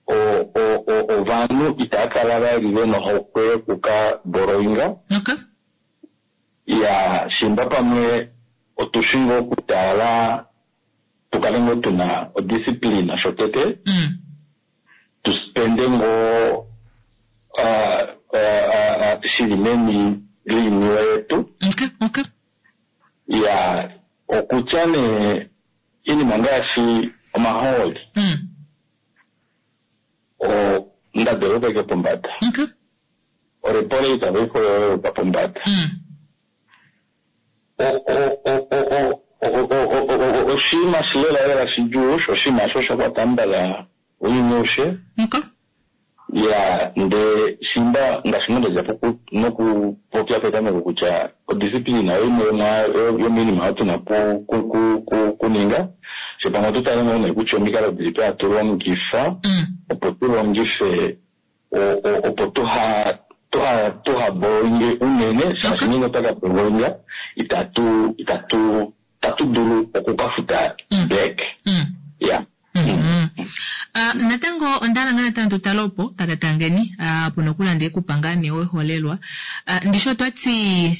o o o ovanhu itaya kala vali vena ohokwe yokuka borrowinga Okay. ya shimba pamwe otushi ngoo okutala tukale ngoo tuna odiscipline shotete Mm. tu spende ngoo ah, ah, ah, shili meni liiniwe yetu Okay, okay. ya okutya nee iinima ngaashi omahooli Mm. ondando yopeke pombada Okay. orepo rate oikoyoyoka pombada Mm. O- o- o- o- o- o- o- o- o- o- oshinima shilela lela shidjuu sho oshinima osho sha kwata mbala ounyuni aushe Okay. ya ndee shimba ngaashi ngo ndadja poku- nokupopya petameko kutya odisciplina oyo imwe yomwa- yo- yomiinima oyo tuna ku- ku- ku- ku- kuninga fye pamwe otutale ngoo nee kutya omikalo dilipi hatu longifa Mm. opo tu longife o- o- opo tuha tuha tuha boinge unene shaashi Okay. ngeenge otaka boinga itatu itatu itatu dulu okukafuta Mm. back Mm. ya Mm. Ah, natango onda hala ngaa natango tutale opo tate Tangeni ah, puna okulanda ekupa ngaa nee weholelwa Ah, ndishi otwati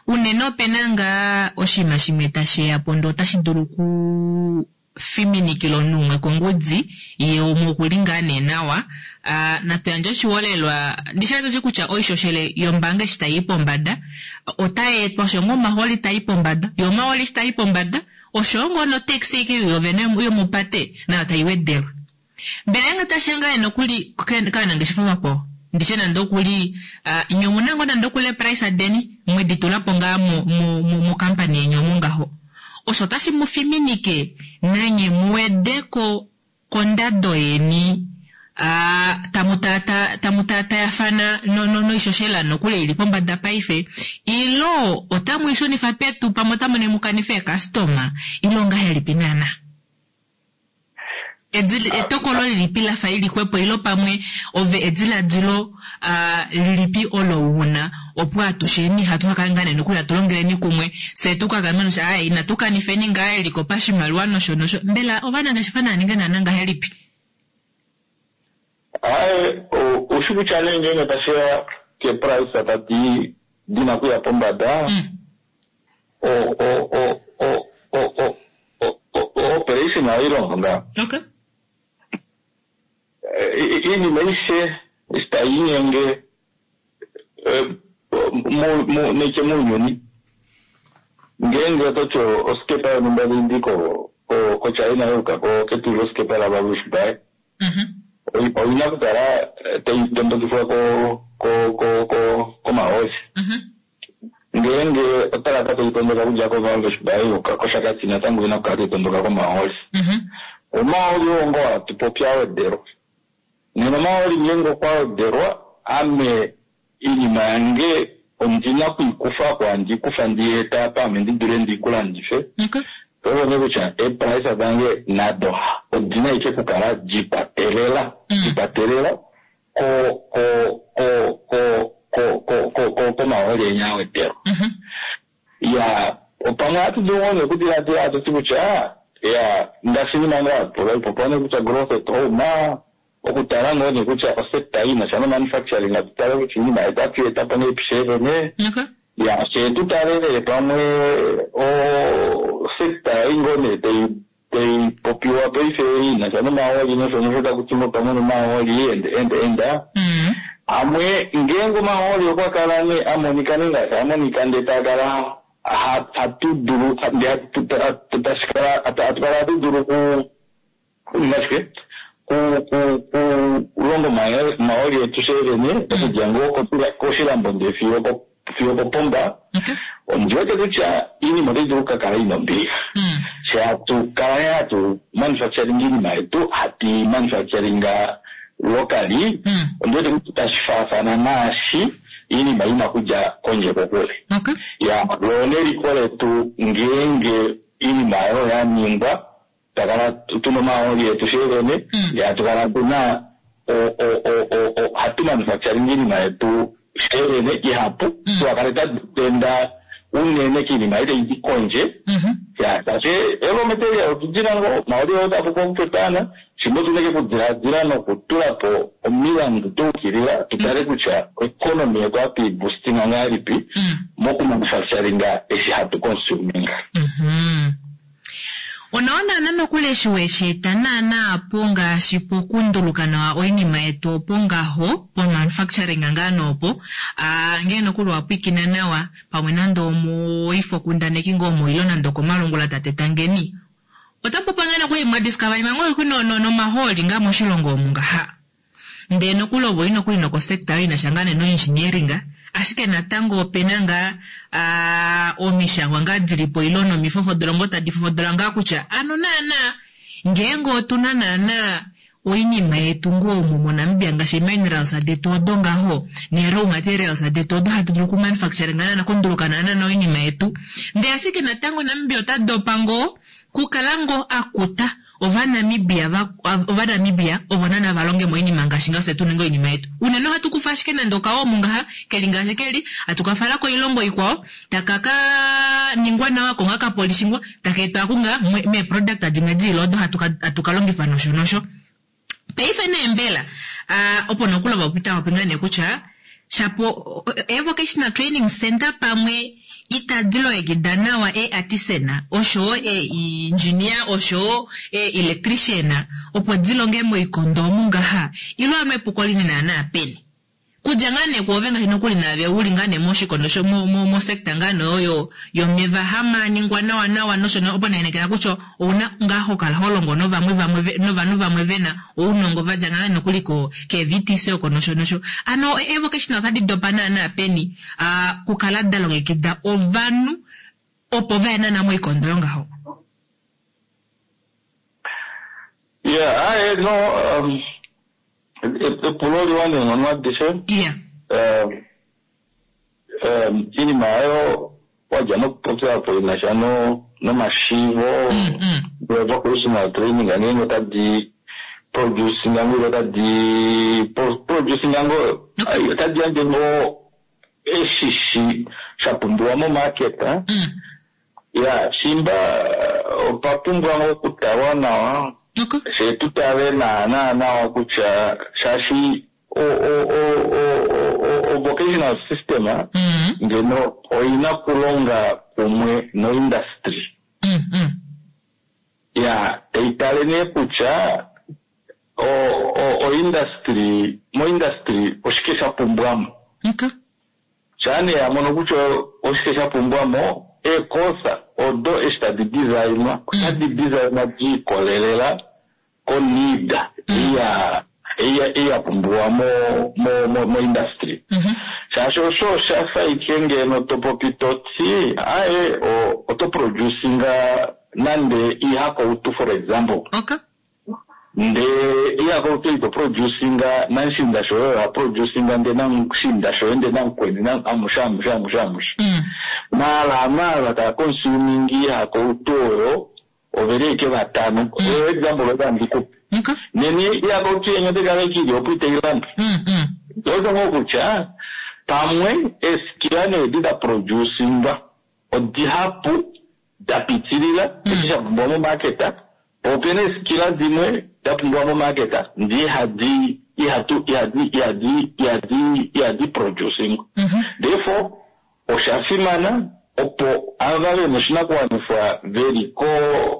unene opena ngaa oshinima shimwe tashiya po ndee otashi dulu ku fiminikila omunhu umwe kongudi ye umwe okuli ngaa nee nawa Ah, natu yandje oshiholelwa ndishi atushi kutya oishoshele yombaanga eshi tayi pombada otayi etwa osho ngoo omahooli tayi pombada yo omahooli eshi tayi pombada osho ngoo notaxi ike yovene yomupate nayo tayi wedelwa mbela yange tashiya ngaa nokuli kaanangeshefa vakwao ndishe nande okuli uh, nye omuna ngoo nande okuli eprice deni mwedi tula po ngaa mo- mo- mo- mokampani yeni omu ngaho osho otashi mu fiminike nanye muwedeko kondado yeni ah, tamu tata tamu tatayafana no, no, noishoshela nokuli ili pombada paife ilo otamu ishunifa petu pamwe otamu nemukanifa eekastoma ilo ngahelipi naana Edil- etokolo lilipi lafa lilixwepo ilo pamwe ove ediladilo ah, lilipi olo wuna opo atusheni hatu kakala ngaa nee nokuli hatu longeleni kumwe fye tukagamene kutya ai inatu kanifeni ngaa eliko pashimaliwa nosho nosho mbela ovanangeshefa naaninge naana ngahelipi aye ushi kutya nee ngeenge tashiya keprice tadi dina okuya pombada Mm. o- o- o- o- o- o- o- o- operation ohayi longo ngaa okay Eh, i- iinima aishe eshi tayi inyenge eh, mu- mu- neke muunyuni ngeenge ototi osikepa yonhumba taidi ko- ko- kochina yuuka ko- ketulilosikepa lavalushibae Mhm. oyina okukala eh, tayi tondokifwa ko- ko- ko- ko- komahooli Mhm. ngeenge otalaka tayi tondoka okudja kovalvesbaai yuuka koshakati natango oyina okukala tayi tondoka komahooli Mhm. omahooli oo ngoo hatu popi awedelwa nena omahooli ngeenge okwa wedelwa ame iinima yange ondina okuikufa ko handi ikufa ndiyeeta apa ame ndi dule ndiikulandife okay oone kutya eeprice dange nado odina ike kukala dikwatelela Mm. dikwatelela ko ko ko ko ko ko ko ko komahooli enya awedelwa Mhm. ya opamwe ohatu dulu ngoo nee okudiladila hatu ti kutya ya ngaashi nima ngaa pula ipopiwa nee kutya growth at home okutala ngoo nee kutya osector ina sha nomanufacturing atu tale kutya iinima yetu atu eta po nee pishevene okay ya fye tutalele pamwe osector ei ngoo nee tai tai popiwa paife ina sha nomahooli nosho nosho taku ti ngoo pamwe nomahooli ende ende enda Mm. amwe ngeenge omahooli okwa kala nee amonika nee ngaashi amonika ndee takala ha- hatu dulu ndee hatu- hatu- tashi kala hatu hatu kala hatu dulu ku kuninga shike ku- ku- ku- kulonga omahe- omahooli etu sheevene okudja ngoo kotula- koshilambo ndee fiyo ko- fiyo kopomba okay ondi wete kutya iinima otayi dulu okukakala ina ombilixa Mm. she hatu kala nee hatu manufacturing iinima yetu hatu manufacturinga locally Mm. ondi wete kutya tashi faafana naashi iinima ina kudja kondje kokule okay ya loo neliko letu ngeenge iinima oyo ya ningwa takala tuna omahooli etu sheevene Mm. ya tukala tuna o- o- o- o- o- hatu manufacturing iinima yetu sheevene ihapu Mm. tuakale tadipenda unene kiinima ei taidi kondje Mhm. ya shaashi raw material otudina ngoo omahooli oo tapuka okupepana shimwe otuna ike okudiladila nokutula po omilandu daukilila tutale kutya economy yetu hatu iboostinga ngahelipi Mm. mokumanufacturinga eshi hatu consuminga Mhm. Onawa naana nokuli eshi wesheeta naana apo ngaashi pokunduluka nawa oinima yetu opo ngaho po manufacturing ngaa noopo aa ngee nokuli wapwiikina nawa pamwe nande omoifokundaneki ngoo omo ile nande okomalungula tate Tangeni otapopa ngaa nokuli mwadiscover ngaa no no nomahooli ngaa moshilongo omu ngaha ndee nokuli ovo nokuli nokosector inasha ngaa nee noengineering ashike natango opena ngaa omishangwa ngaa dilipo ile nomifofodolo ngoo tadi fofodola ngaa kutya ano naana ngeenge otuna naana oinima yetu ngoo omu moNamibia ngaashi minerals detu odo ngaho ne raw materials detu odo hatu dulu kumanufacture naana kunduluka naana oinima yetu ndee ashike natango Namibia ota dopa ngoo kukala ngoo akuta ovanamibia ovanamibia ovo nana valonge moinima ngaashi ngaashi tu ninga oinima yetu unene ohatu kufa ashike nande okawomu ngaha keli ngaashi keli hatukafala koilongo ikwao takaka ningwa nawa ko nga kapolishingwa taka etwa kunga meeproduct dimwe diile odo hatu kalongifa nosho nosho paife nee mbela opo nokuli vapita vapinga nee kutya shapo e-vocational training center pamwe itadi longekida nawa e-artisan oshowo e-engineer oshowo e-electrician opo dilonge moikondo omu ngaha ilo ano epuko lini naana peni kudja ngaa nee kwoove ngaashi nokuli naave uli ngaa nee moshikondo sho mo sector ngaa nee oyo yomeva hamaningwa nawa nawa nosho opo naenekela kutya ouna ngaa hokala holongo novamwe vamwe novanhu vamwe vena ounongo vadja ngaa nokuli ko ke-V T C oko nosho nosho ano e-vocational otadi dopa naana peni kukala da longekida ovanhu opo vaye naana moikondo yongaho. Yeah, I no um epulo liwa neenghono adishe. Yeah. Um um iinima oyo wadja nokupopya po inasha no nomashivo vocational training ngeenge otadi producing ngoo otadi producing ngoo otadi yandje ngoo eshishi sha pumbiwa momarket. Ya shimba opa pumbwa ngoo okutalwa nawa she tutale naana nawa kutya shaashi o o o o o vocational system ngeno oina kulonga kumwe no industry. Ya taitale nee kutya o o o industry mo industry oshike sha pumbwamo. Shane yamono kutya oshike sha pumbwamo eekosa odo eshi tadi designwa otadi designwa diikolelela konida iya iya iya pumbiwa mo mo mo, mo industry. Shaashi osho oshafa ike ngeno topopi toti aye oto producinga nande ihakoutu for example. Okay. Nde ihakoutu ito producinga nanshinda shoyo ya producinga nde nanshinda shoyo nde nankweni na amusha amusha amusha amusha. Mala mala ta consuming ihakoutu oyo overeke vatano. Eyo example otandikupa. Neni ihakoutu yenye tekavekili opo iteilanda. Otongo kutya pamwe eskila needi da producinga odihapu da pitilila eshi sha pumbiwa momarket, po opena eskila dimwe da pumbiwa momarket ndi ihadi ihatu ihadi ihadi ihadi ihadi producing. Therefore osha fimana opo ava vena oshinakuwanifwa veli ko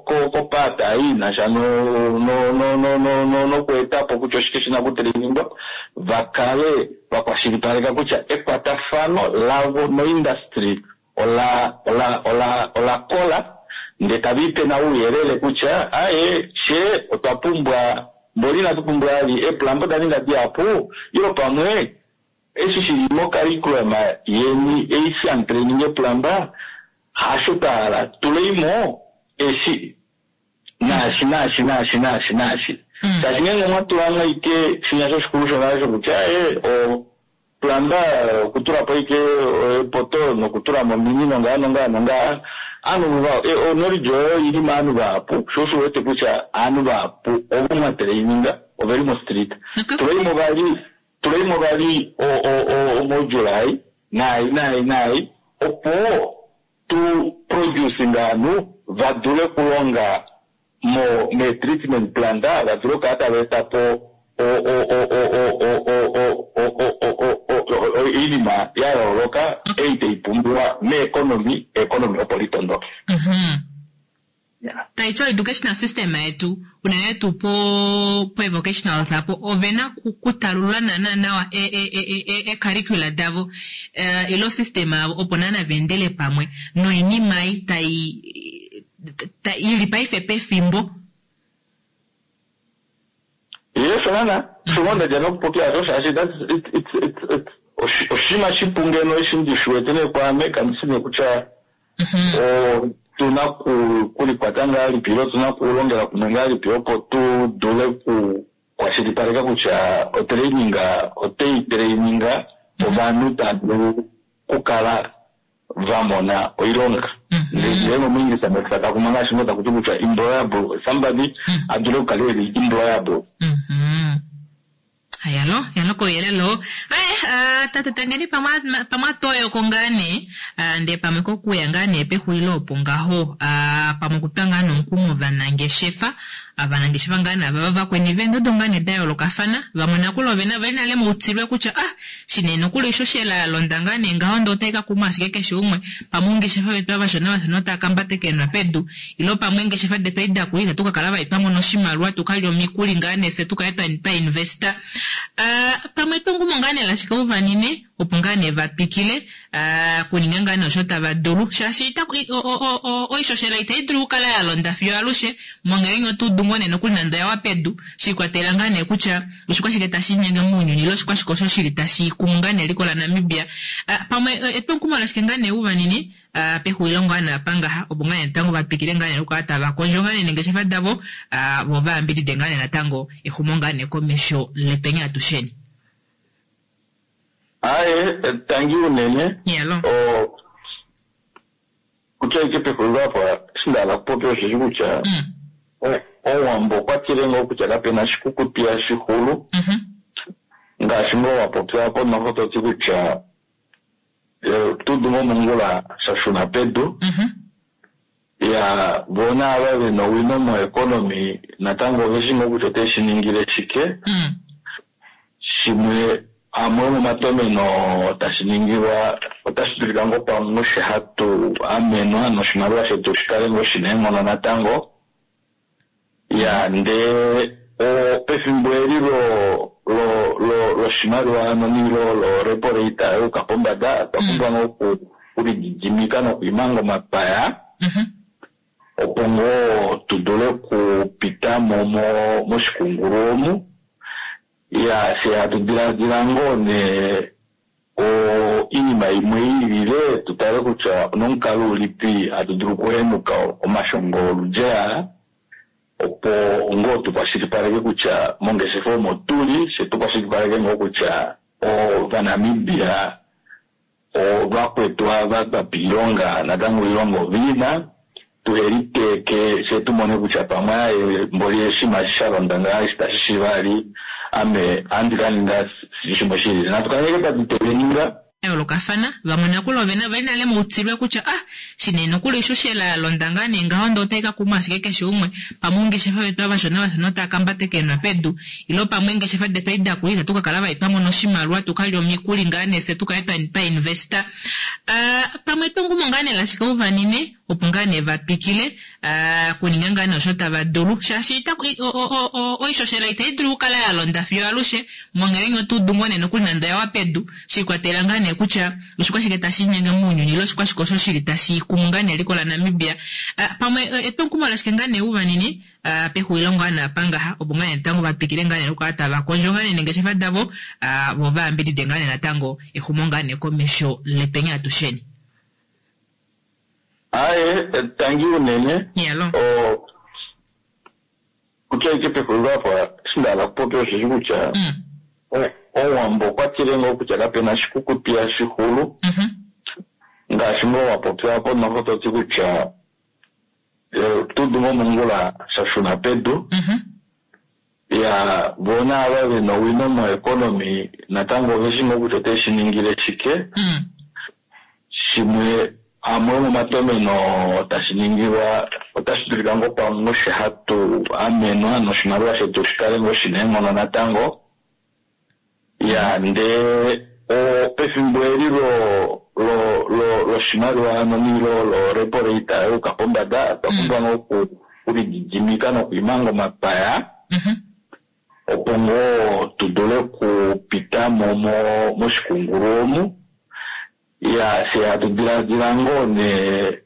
ko kopata inasha no no no no no no nokuetapo kutya oshike shina kutreningwa vakale vakwashilipaleka kutya ekwatafano lavo noindustry ola ola ola ola kola nde tavipe na uuyelele kutya aye she otwa pumbwa mboli inatu pumbwa ali eplumber da ninga dihapu ilo pamwe eshi shili mocurriculum yeni eisi training eplumber hasho twahala tuleimo eshi naashi naashi naashi naashi naashi. Shaashi ngeenge mwatulamo ike shinya shoshikulu shonale shokutya aye o plumber okutulapo ike epoto nokutulamo ominino ngaa nongaa nongaa aanhu va knowledge oyo ili maanhu vahapu sho osho wete kutya aanhu vahapu ovo mwatraininga oveli mo street. Tuleimo vali tuleimo vali o o o moJuly nai nai nai opo tu producing aanhu vadule kulonga mo me treatment plant vadule okukala tava etapo o o o o o o o o o o o o iinima ya yooloka ei taipumbiwa meeconomy economy opo litondoke. Taiti educational system yetu unene tuu po po-vocationals apo ovena kutalulula naana nawa e-curricula davo ile osystem yavo opo naana vaendele pamwe noinima ei tai ili paife pefimbo. Yes, naana osho nda dja nokupopya osho shaashi oshinima shipu ngeno eshi ndi shi wete nee kwaame kandi shi nee kutya otuna kulikwata ngahelipi ile otuna kulongela kumwe ngahelipi opo tu dule kukwashilipaleka kutya otraining otai traininga ovanhu tava dulu okukala va mona oilonga. Ndele momuingilisa takuma ngaashi ngo takuti kutya employable, somebody a dule okukala eli employable. Yalo, yalo kouyelele oo. Aye, tate Tangeni pamwe atoyoko ngaa nee, ndee pamwe kokuya ngaa nee pexulilo opo ngaho, pamwe okutwa ngaa nomukumo ovanangeshefa, ovanangeshefa ngaa nee ava vakweni veendodo ngaa nee da yoolokafana, vamwe nakuli ovena vali nale moutilwe kutya ah, shinene nokuli oishoshela ya londa ngaa nee ngaho ndee otai ka kuma ashike keshe umwe, pamwe oungeshefa vetu avashona vashona otava kambatekenwa pedu, ile pamwe eengeshefa detu edi dakula itatu ka kala vali twa mona oshimaliwa tukalye omikuli ngaa nee fye tukale twa investa. Pamwe etungumo ngaa nee lashike uvanine opo ngaa nee vatwikile kuninga ngaa nee osho tava dulu shaashi oishoshela itai dulu okukala ya londa fiyo alushe monghela otu dungo nee nokuli nande oyawa pedu shikwatela ngaa nee kutya oshikwashike tashi inyenge mounyuni ile oshikwashike osho shili tashi kumu ngaa nee eliko laNamibia. Pamwe etungumo lashike ngaa nee uvanine pexulilo ngaa nee apa ngaha opo ngaa nee natango vatwikile ngaa nee okukala tava kondjo ngaa nee neengeshefa davo vo vayambidide ngaa nee natango exumo ngaa nee komesho lepenya atusheni. Aye, tangi unene. Yalo. Kutya ike pexulilo apa eshi nda hala okupopya osheshi kutya Owambo okwa tile ngoo kutya kapena shikukutu ihashi xulu ngaashi ngoo wa popya konoho toti kutya otudu ngoo sha shuna pedu. Ya vona ava vena owino moeconomy natango oveshi ngoo kutya ote shi ningile shike. Shimwe amwe omomatomeno tashi ningilwa otashi dulika ngoo pamwe osho hatu amenwa noshimaliwa shetu shikale ngoo shina eenghono natango. Ya ndee pefimbo eli loshimaliwa nonilo lo repo rate yuuka pombada otwa pumbwa ngoo okulididimika nokwiimanga omapaya opo ngoo tu dule okupita mo moshikungulu omu. Ya fye hatu diladila ngoo nee oinima imwe iilile tutale kutya onomukalo ulipi hatu dulu okuhenuka omashongo oludji aa opo ngoo tukwashilipaleke kutya mongeshefa omo tuli fye tukwashilipaleke ngoo kutya ovanamibia ovakwetu ava twapa oilonga natango oilonga oviina tuheliteeke fye tumone kutya pamwe aaye mboli oshinima eshi sha londa ngaha eshi tashi shi vali ame ohandi ka ninga shimwe shilile natu kaleke tatu teleninga yoolokafana vamwe nakuli ovena vali nale moutilwe kutya ah shinene nokuli oishoshela ya londa ngaa nee ngaho ndee otai ka kuma ashike keshe umwe pamwe oungeshefa vetu avashona vashona otava kambatekenwa pedu ile pamwe eengeshefa detu edi dakula itatu ka kala vali twa mona oshimaliwa tukalye omikuli ngaa nee fye tukale twa investa. Pamwe etungumo ngaa nee lashike uvanine opo ngaa nee vatwikile kuninga ngaa nee osho tava dulu shaashi oishoshela itai dulu okukala ya londa fiyo alushe monghela otu dungo nee nokuli nande oyawa pedu shikwatela ngaa nee kutya oshikwashike tashi inyenge mounyuni ile oshikwashike osho shili tashi kumu ngaa nee eliko laNamibia. Pamwe etungumo lashike ngaa nee uvanine pexulilo ngaa nee apa ngaha opo ngaa nee natango vatwikile ngaa nee okukala tava kondjo ngaa nee neengeshefa davo vo vayambidide ngaa nee natango exumo ngaa nee komesho lepenya atusheni. Aye, tangi unene. Yalo. Kutya ike pexulilo apa eshi nda hala okupopya osheshi kutya Owambo okwa tile ngoo kutya kapena shikukutu ihashi xulu ngaashi ngoo wa popya konoho toti kutya otudu ngoo mongula sha shuna pedu. Ya vona ava vena owino moeconomy natango oveshi ngoo kutya ote shi ningile shike. Shimwe amwe omomatomeno tashi ningilwa otashi dulika ngoo pamwe osho hatu amenwa noshimaliwa shetu shikale ngoo shina eenghono natango. Ya ndee pefimbo eli lo- lo- loshimaliwa nomilo lo repo rate yuka pombada, otwa pumbwa ngoo oku- okulididimika nokuimanga omapaya Mhm. opo ngoo tu dule okupita mo mo- moshikungulu omu. Ya fye hatu diladila ngoo nee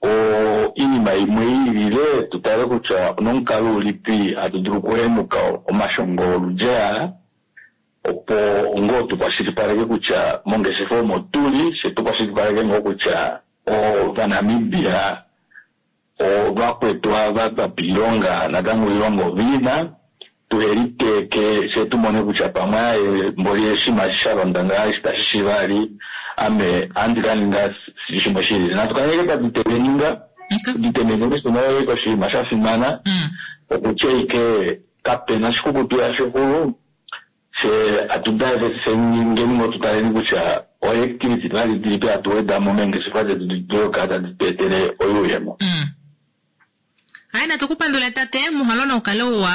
o iinima imwe iilile tu tale kutya onomukalo ulipi hatu dulu okuhenuka omashongo oludji aa, opo ngoo tukwashilipaleke kutya mongeshefa omo tuli, fye tukwashilipaleke ngoo kutya Ovanamibia ovakwetu ava twapa oilonga natango oilonga oviina, tuheliteeke fye tumone kutya pamwe aaye mboli oshinima eshi sha londa ngaa eshi tashi shi vali, ame ohandi ka ninga shimwe shilili. Natu kaleke twa ditemeninga, Okay. ditemeneni shino oshinima sha fimana, Mm. okutya ike kapena oshikukutu yashixulu, fye atu diversifyingeni ngoo tutaleni kutya oactivity vali dilipi hatu wedamo meengeshefa detu di dule okukala tadi tu etele oyuuyemo. Mm. Hayi natu kupandule tate, muhalo noukale uwa.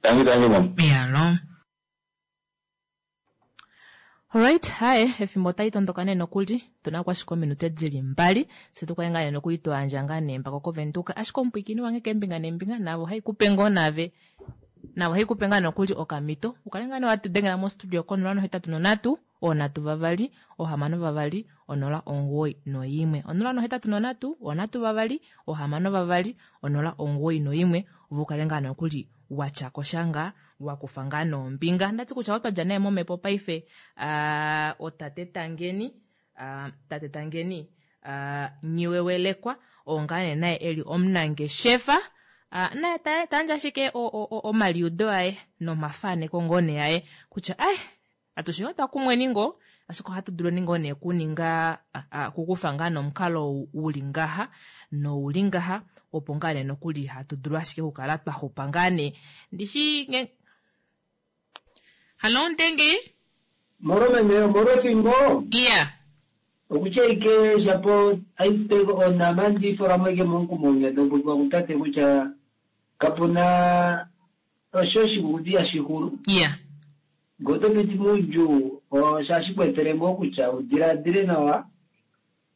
Tangi tangi mama. Yalo. Alright, haye efimbo otali tondoka nee nokuli tuna ko ashike ominute dili mbali se tukale ngaa nee nokuli twaandja ngaa nee mpaka kovenduka, ashike omupwiikini wange keembinga neembinga navo haikupe ngoo nave navo haikupe ngaa nokuli okamito ukale ngaa nee watudengela mostudio konola nohetatu nonhatu onhatu vavali ohamano vavali onola omugoyi noimwe onola nohetatu nonhatu onhatu vavali ohamano vavali onola omugoyi noimwe ove ukale ngaa nokuli watyako sha ngaa wakufa ngaa nombinga. Ndati kutya otwadja naye momhepo paife uh, otate Tangeni uh, tate Tangeni uh, Nghiwewelekwa oo ngaa nee naye eli omunangeshefa uh, naye ta- tayandje ashike o- o- o- omaliudo aye nomafaneko ngoo nee aye kutya ai atushe otwa kumweni ngoo ashike ohatu dulu ngoo nee kuninga kukufa ngaa nomukalo uli ngaha nouli ngaha opo ngaa nee nokuli hatu dulu ashike okukala twa xupa ngaa nee ndishi nge Hallo Ndenge. Moro meme, moro fimbo. Iya. Okutya ike shapo aiteko onama ndifola ike monkumonga dopopiwa kutate kutya kapuna osho oshikukuti yashixulu. Iya. Ngee oto piti moudjuu oshashi ku etele ngoo kutya udiladile nawa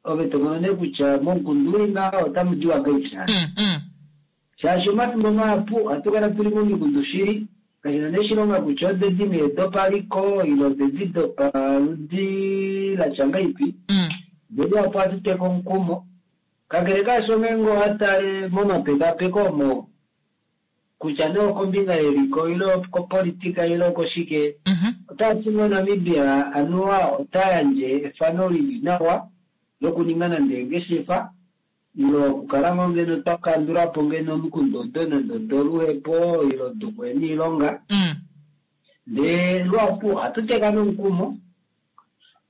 ove to mono nee kutya momukunda uli ngaha otamu diwa ngahelipi. Mm, mm. Shaashi omafimbo mahapu ohatu kala tuli momikundu shili kashina nee oshilonga kutya odedi nee dopaliko ile odedi dopaludi latya ngahelipi. Mm. Ndele apo ohatu teka omukumo kakele kaasho ngeenge owatale momapekapeko omo kutya nee okombinga yeliko ile okopolitika ile okoshike, Mhm. otati moNamibia anuwa ota yandje efano lili nawa lokuninga nande eengeshefa ile okukala ngoo ngeno twa kandula po ngeno omikundu odo nande odoluhepo ile dokuhena oilonga. Mm. Ndee luhapu ohatu teka nomukumo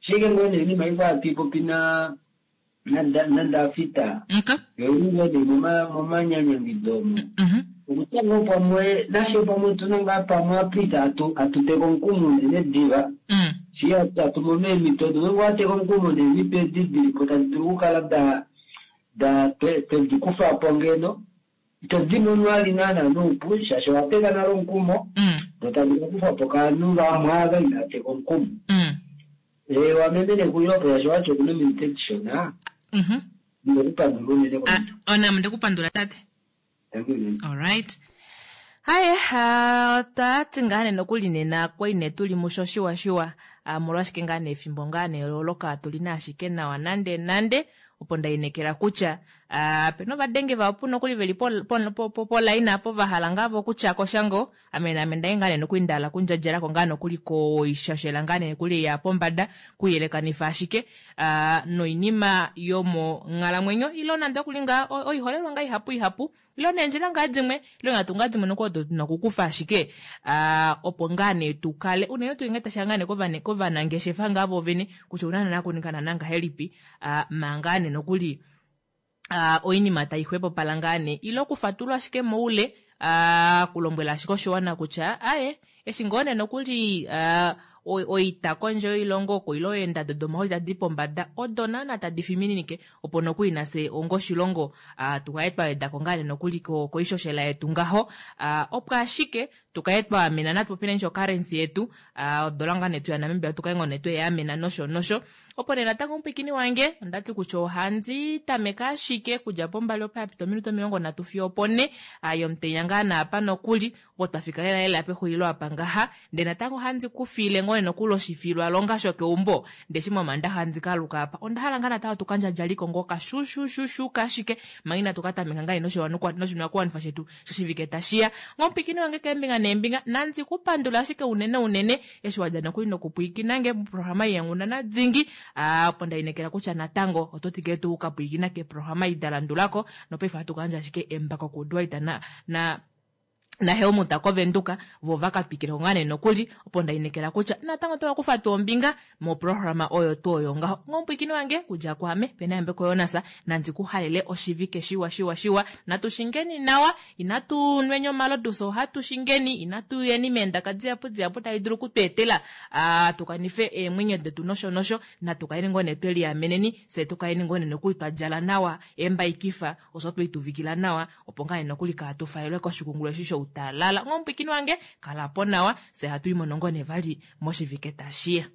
ashike ngoo nee oinima ikwao hatu ipopi na na- naNdafita Okay. yoili ngoo nee moma- momanyanyangido omo. Mhm. Okutya ngoo pamwe nashe pamwe otuna ngaa pamwe apita hatu hatuteka omukumo unene diva Mm. shi hatu mono eemhito odo ngeenge owateka omukumo neemhito edi dilipo tadi dulu okukala da da twe- twedi kufa po ngeno ito di mono ali naana noupu shaashi owateka nale omukumo Mm. notadi kakufwa po kaanhu vamwe ava inateka omukumo. Mm. Ee wamemene kuyopo shaashi owati okuna ominute dishona Mhm. ndinokupandula unene Ah, komuntu. onam ndikupandula tate. Thank you. Alright. Haye otwati ngaa nee nokuli nena kwali nee tuli musho shiwa shiwa ah, molwashike ngaa nee efimbo ngaa nee loloka tuli ashike nawa nande nande opo ndainekela kutya ah, pena ovadenge vahapu nokuli veli po- po- po- po- polaina apo vahala ngaa vo okutya koshango ame naame ndai ngaa nee nokuli ndahala kundjadjalako ngaa nokuli koishoshela ngaa nee nokuli ya pombada kuyelekanifa ashike ah, noinima yomonghalamwenyo ilo nande okuli ngaa o- oiholelwa ngaa ihapu ihapu ilo neendjila ngaa dimwe ilo ngatu ngaa dimwe nokuli odo tuna okukufa ashike ah, opo ngaa nee tukale unene tuu ngee tashiya ngaa nee kovane- kovanangeshefa ngaa vovene kutya ouna naana kuninga naana ngahelipi ah, manga nee nokuli uh, oinima tai xwepopala ngaa nee ile okufatulula ashike moule uh, kulombwela ashike oshiwana kutya aye eshi ngoo nee nokuli uh, oita kondje yoilongo oko ile eendado domahooli tadi pombada odo naana tadi fimininike opo nokuli nafye onga oshilongo uh, tukale twa wedako ngaa nee nokuli ko- koishoshela yetu ngaho uh, opo ashike tukale twa amena natu popile nisho currency yetu uh, odola ngaa netu yaNamibia tukale ngoo nee tweyaamena nosho nosho Opo nee natango omupwikini wange ondati kutya ohandi tameke ashike kudja pombali opo yapita ominute omilongo nhatu fiyo opone yomutenya ngaa naapa nokuli opo twafika lela lela pexulilo apa ngaha. Ndee natango ohandi kufile ngoo nokuli oshifilwalonga shokeumbo ndee eshi momandaxa handi kaluka apa onda hala ngaa natango tukandjadjaliko ngoo kashushushu ashike manga inatu katameka ngaa noshinakuwanifwa shetu shoshivike tashiya. Ngomupwikini wange keembinga neembinga nandi kupandula ashike unene unene eshi wadja nokuli nokupwiikinange moprograma yenghundana dingi opo ndainekela kutya natango oto twikile tuu ukapwiikina keeprograma ei dalandulako nopaife ohatu kayandja ashike embako kuDwight na na naHelmut kovenduka vo vakatwikileko ngaa nee nokuli opo ndainekela kutya natango otava tuu ombinga moprograma oyo tuu oyo ngaho. Ngomupwiikini wange kudja kwaame pena Yambeko Jonas nandi kuhalele oshivike shiwa shiwa shiwa natu shingeni nawa inatu nweni omalodu fye ohatu shingeni inatu yeni meendaka dihapu dihapu tadi dulu okutweetela tukanife eemwenyo detu nosho nosho natu kaleni ngoo nee tweliameneni fyee tukaleni ngoo nee nokuli twadjala nawa eembaikifa osho tweituvikila nawa opo ngaa nee nokuli kaatufaelwe koshikungulu eshi shoutalala. Ngomupwiikini wange kalapo nawa fyee hatu imono ngoo nee vali moshivike tashiya.